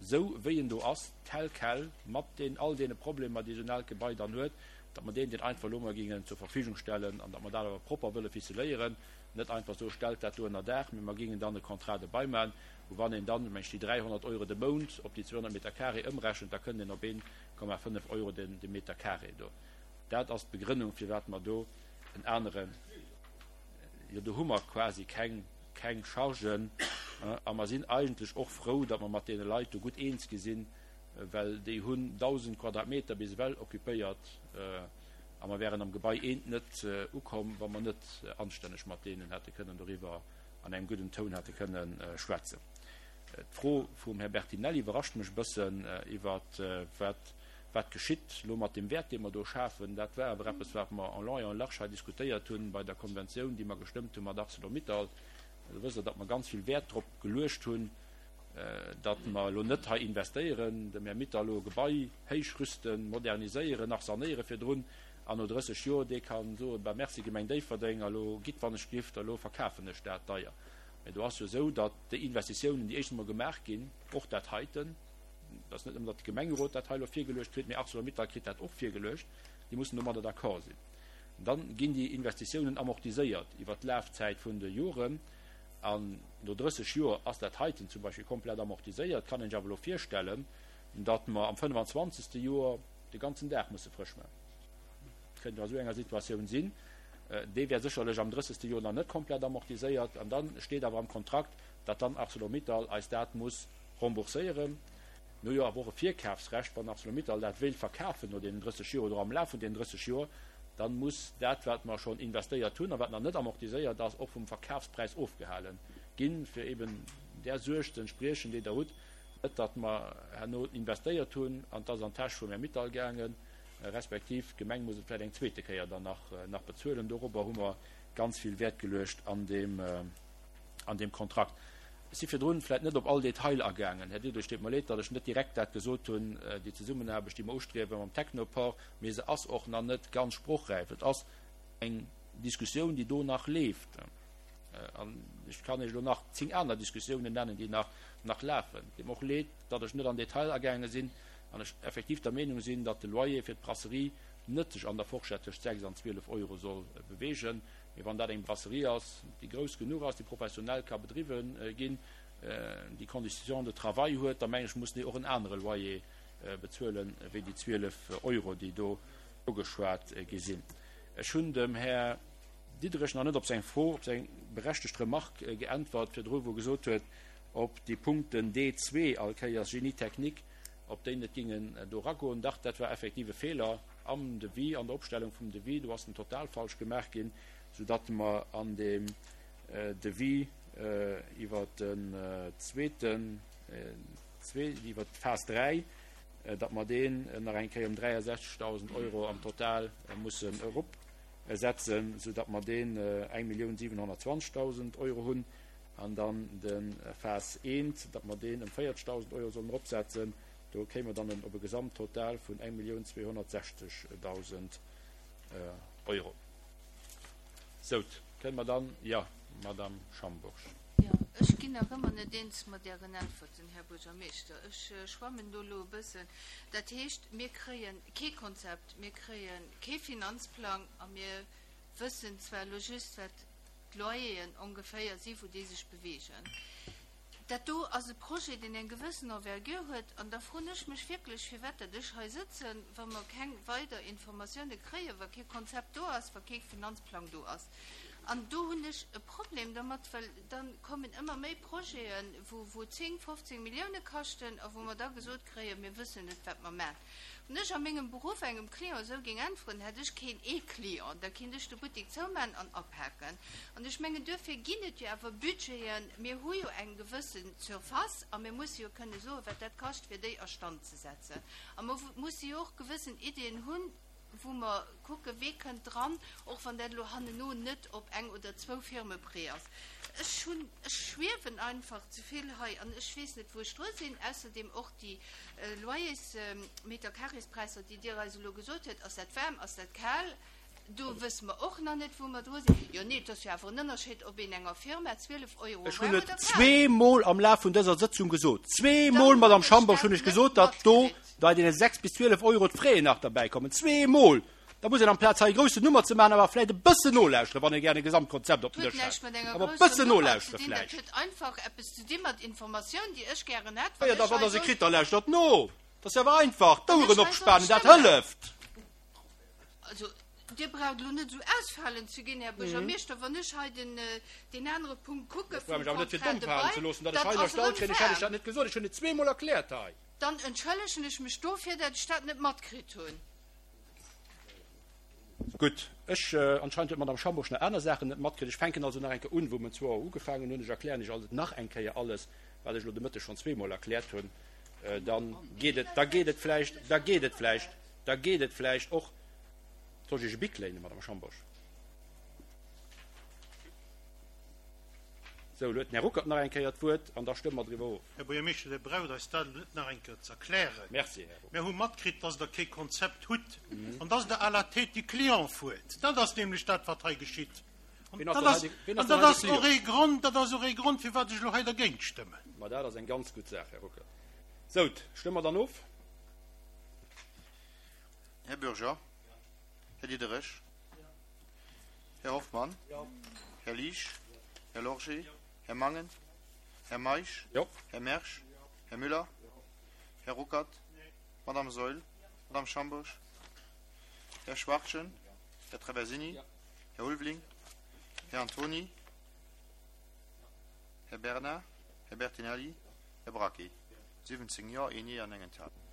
esou wéi en do ass, tel quel, mat deen all deene Problemer, déi esou en aalt Gebai dann huet, datt mer deen deen einfach elo mol géingen zur Verfügung stellen an datt mer dat awer propper wëlle ficeléieren, net einfach soe stellt dat do ënner Daach, mee mer géingen dann e Contrat de bail maachen, wou wann een dann, meng ech, déi 300 Euro de Mount op déi 200 Meter carré ëmrechent, da kënnt een op 1,5 Euro den de Meter carré do. Dat ass d'Begrënnung, firwat mer do en anere, jo do hu mer quasi keng, keng Chargen a mer sinn eigentlech och frou, datt mer mat deene Leit do gutt eens gi sinn, well déi hunn 1.000 Quadratmeter bis ewell occupéiert a mer wären am Gebai eent net ukomm, wa mer net anstänneg mat deenen hätte kënnen doriwwer an engem gudden Toun hätte kënne schwätzen. D'Fro vum Här Bertinelli iwwerrascht mech e bëssen iwwer wat wat geschitt elo mat deem Wäert, dee mer do schafen. Dat war awer eppes, wat mer en long et en large hei diskutéiert hunn bei der Konventioun, déi mer gestëmmt hu mat Arcelor-Mittal. Do wësst Der, datt mer ganz vill Wäert drop geluecht hunn, datt mer elo net hei investéieren, dem Här Mittal elo e Gebai héichrüsten, moderniséieren, nach sanéiere virdrun, an no 30 Joer dee ka soen, Bah, merci Gemeng Déifferdeng, elo gitt wann ech giff, elo verkafen ech dat deier. Mä do ass jo esou, datt déi Investitiounen, déi éischt emol gemaach ginn, och dat heiten, et ass net nëmmen, datt de Gemengerot dat hei elo virgeluecht kritt, mä Arcelor-Mittal kritt dat och virgeluecht, déi mussen domadder d'accord sinn. Dann ginn déi Investitiounen amortiséiert iwwert d'Lafzäit vun de Joren. An no 30 Joer ass dat heiten zum Beispill komplett amortiséiert. Kann een sech awer elo virstellen, datt mer am 25. Joer de ganzen Daach musse frësch maachen. Kënnt jo a sou enger Situatioun sinn. Dee wär sécherlech am 30. Joer nach net komplett amortiséiert. An da steet awer am Kontrakt, datt dann Arcelor-Mittal eis dat muss rembourséieren. Mir hu jo awer och e Virkafsrecht, wann Arcelor-Mittal dat wéilt verkafen no deenen 30 Joer oder am Laf vun deenen 30 Joer, dann muss dat, wat mer schonn investéiert hunn a wat nach net amortiséiert ass, och vum Verkafspräis ofgehale ginn, fir eben där Suerg ze entspriechen, déi Der hutt, net datt mer herno investéiert hunn an et ass an d'Täsch vum Här Mittal gaangen, respektiv d'Gemeng muss et vläicht eng zweete Kéier dann nach bezuelen. Dorobber hu mer ganz vill Wäert geluecht an deem. an deem Kontrakt. Ech si virdrun vläicht net op all Detail agaangen, Här Diderich, deet mer leed, datt ech net direkt dat gesot hunn, déi Zesummenaarbecht, déi mer ustriewe mam Technoport, mee se ass och nach net ganz sprochräif. Et ass eng Diskussioun, déi do nach leeft. An ech kann Iech elo nach zéng aner Diskussiounen nennen, déi nach, nach lafen. Et deet mer och leed, datt ech net an Detail agaange sinn an ech effektiv der Meenung sinn, datt de Loyer fir d'Brasserie net sech an der Forschett tëscht 6 an 12 Euro soll beweegen. Mee wann dat eng Brasserie ass, déi grouss genuch ass, déi professionell ka bedriwwe ginn, déi Conditions de travail huet, da mengen ech, mussen déi och en anere Loyer bezuelen, wéi déi 12 Euro, déi do ugeschwat gi sinn. Ech hunn dem Här Diderich nach net op seng Fro, op seng berechtegt Remarque geäntwert virdru, wou e gesot huet, ob déi Punkten D2 all Kéiers Génie technique, ob déi net gingen do eragoen. Dach, dat war effektiv e Feeler. Am Devis, an der Opstellung vum Devis, do ass en total falsch gemaach ginn, soudatt mer an deem Devis iwwer den zweeten, iwwer d'Phas 3, datt mer deen nach eng Kéier ëm 63.000 Euro am Total mussen eropsetzen, soudatt mer deen 1.720.000 Euro hunn, an dann de Phas 1, datt mer deen ëm 40.000 Euro sollen eropsetzen. Do kéime mer dann op e Gesamttotal vun 1.260.000 Euro. Sou, kënne mer dann, jo, Madamm Schambourg. Jo. Ech ginn nach ëmmer net eens mat Ären Äntwerten, Här Buergermeeschter. Ech schwammen do elo e bëssen. Dat heescht, mir kréie kee Konzept, mir kréie kee Finanzplang a mir wëssen zwar elo just, wat d'Loyeren ongeféier si wou déi sech beweegen. Dat do ass e Projet, deen eng gewëssen Envergure huet an da froen ech mech wierklech, firwat dat ech hei sëtzen, wa mer keng weider Informatioune kréien, wa kee Konzept do ass, wa kee Finanzplang do ass. An do hunn ech e Problem dermat, well da kommen ëmmer méi Projeten, wou, wou 10, 15 Millioune kaschten a wou mer da gesot kréien, mir wëssen net, wat mer maachen. Wann ech a mengem Beruff engem Client esou géing äntweren, hätt ech keen ee Client, da kinnt ech de Buttek zoumaachen an apaken. An ech mengen, duerfir ginn et jo awer Budgeten. Mir hu jo eng gewësse Surface a mir musse jo kënne soen, wat dat kascht, fir déi a Stand ze setzen. A mer musse jo och gewëssen Iddien hunn, wou mer kucken, wee kënnt dran, och wann dat elo hanneno net op eng oder zwou Firme prêt ass. Ech hunn, ech schwiewen einfach ze vill hei an ech weess net, wou ech dru sinn. Ausserdem och déi Loyers-Metercarréspräisser, déi Dir eis elo gesot huet, ass dat waarm, ass dat kal? Do wësse mer och nach net, wou mer dru sinn. Jo, nee, et ass jo awer en Ënnerscheed, ob een enger Firma 12 Euro Ech hunn waarm et oder kal. zweemol am Laf vun dëser Sëtzung gesot, zweemol, Madame Schambourg, hunn ech gesot, datt do bei deene 6 bis 12 Euro d'Fraien nach derbäikommen. Zweemol! Da muss een amplaz hei e groussen Nummer ze maachen, awer vläicht e bëssen nolauschteren, wann ee gären e Gesamtkonzept op den Huet Dësch näischt hätt. mat enger Awer e grousser bëssen Nummer ze nolauschteren dinn, dat vläicht. huet einfach eppes ze di mat Informatioun, déi ech gären hätt, Jo, wann da ech wann hei Der se soll. kritt, da lauschtert no. Dat ass jo awer einfach. Wann D'Oueren ech hei soll opspanen, dat stëmmen. hëlleft. Also, Dir braucht elo net esou ausfalend ze ginn, Här Buergermeeschter. Wann ech hei den, deen anere Punkt kucke Ech brauch vum mech awer net fir Contrat domm de falen ze bail, loossen, datt ech dann hei ass erstallt erëm kréien. Ech hätt lech waarm. dat net gesot. Ech hunn et zweemol erkläert hei. Dann entschëllegen ech mech dofir, dat ech dat net matkritt hunn. Gutt, ech, anscheinend huet d'Madame Schambourg nach aner Saachen net matkritt. Ech fänken also nach eng Kéier un, wou mer zwou Auer ugefaangen hunn. Ech erklären Iech also nach eng Kéier alles, wat ech elo de Mëtteg schonn zweemol erkläert hunn. Da geet et, da geet et vläicht, da geet et vläicht, da geet et vläicht och. Soll ech Iech e Bic léinen, Madame Schambourg? Sou, elo huet den Här Ruckert nach eng Kéier d'Wuert an da stëmme mer driwwer of. Här Buergermeeschter, Dir braucht eis dat elo net nach eng Kéier ze erklären. Merci, Här Ruckert. Mir hu matkritt, dass Der kee Konzept hutt an dass Der à la tête du client fuert. Dat ass nämlech dat, wat hei geschitt. An Wien ass dat dann ass, hei de, wien an ass dann dat hei de ass Client? och ee Grond, dat ass och ee Grond, firwat ech elo hei dergéint stëmmen. Ma dat ass eng ganz gutt Saach, Här Ruckert. Sou, stëmme mer dann of? Här Bürger. Här Diderich. Här Hoffmann. Här Liesch. Här Lorgé. Här Mangen. Här Meisch. Här Mersch. Här Müller. Här Ruckert. Madame Saeul. Madame Schambourg. Här Schwachtgen. Här Traversini. Här Ulveling. Här Antony. Här Bernard. Här Bertinelli. Här Bracchi. 17 Jo, een Nee an eng Enthalung.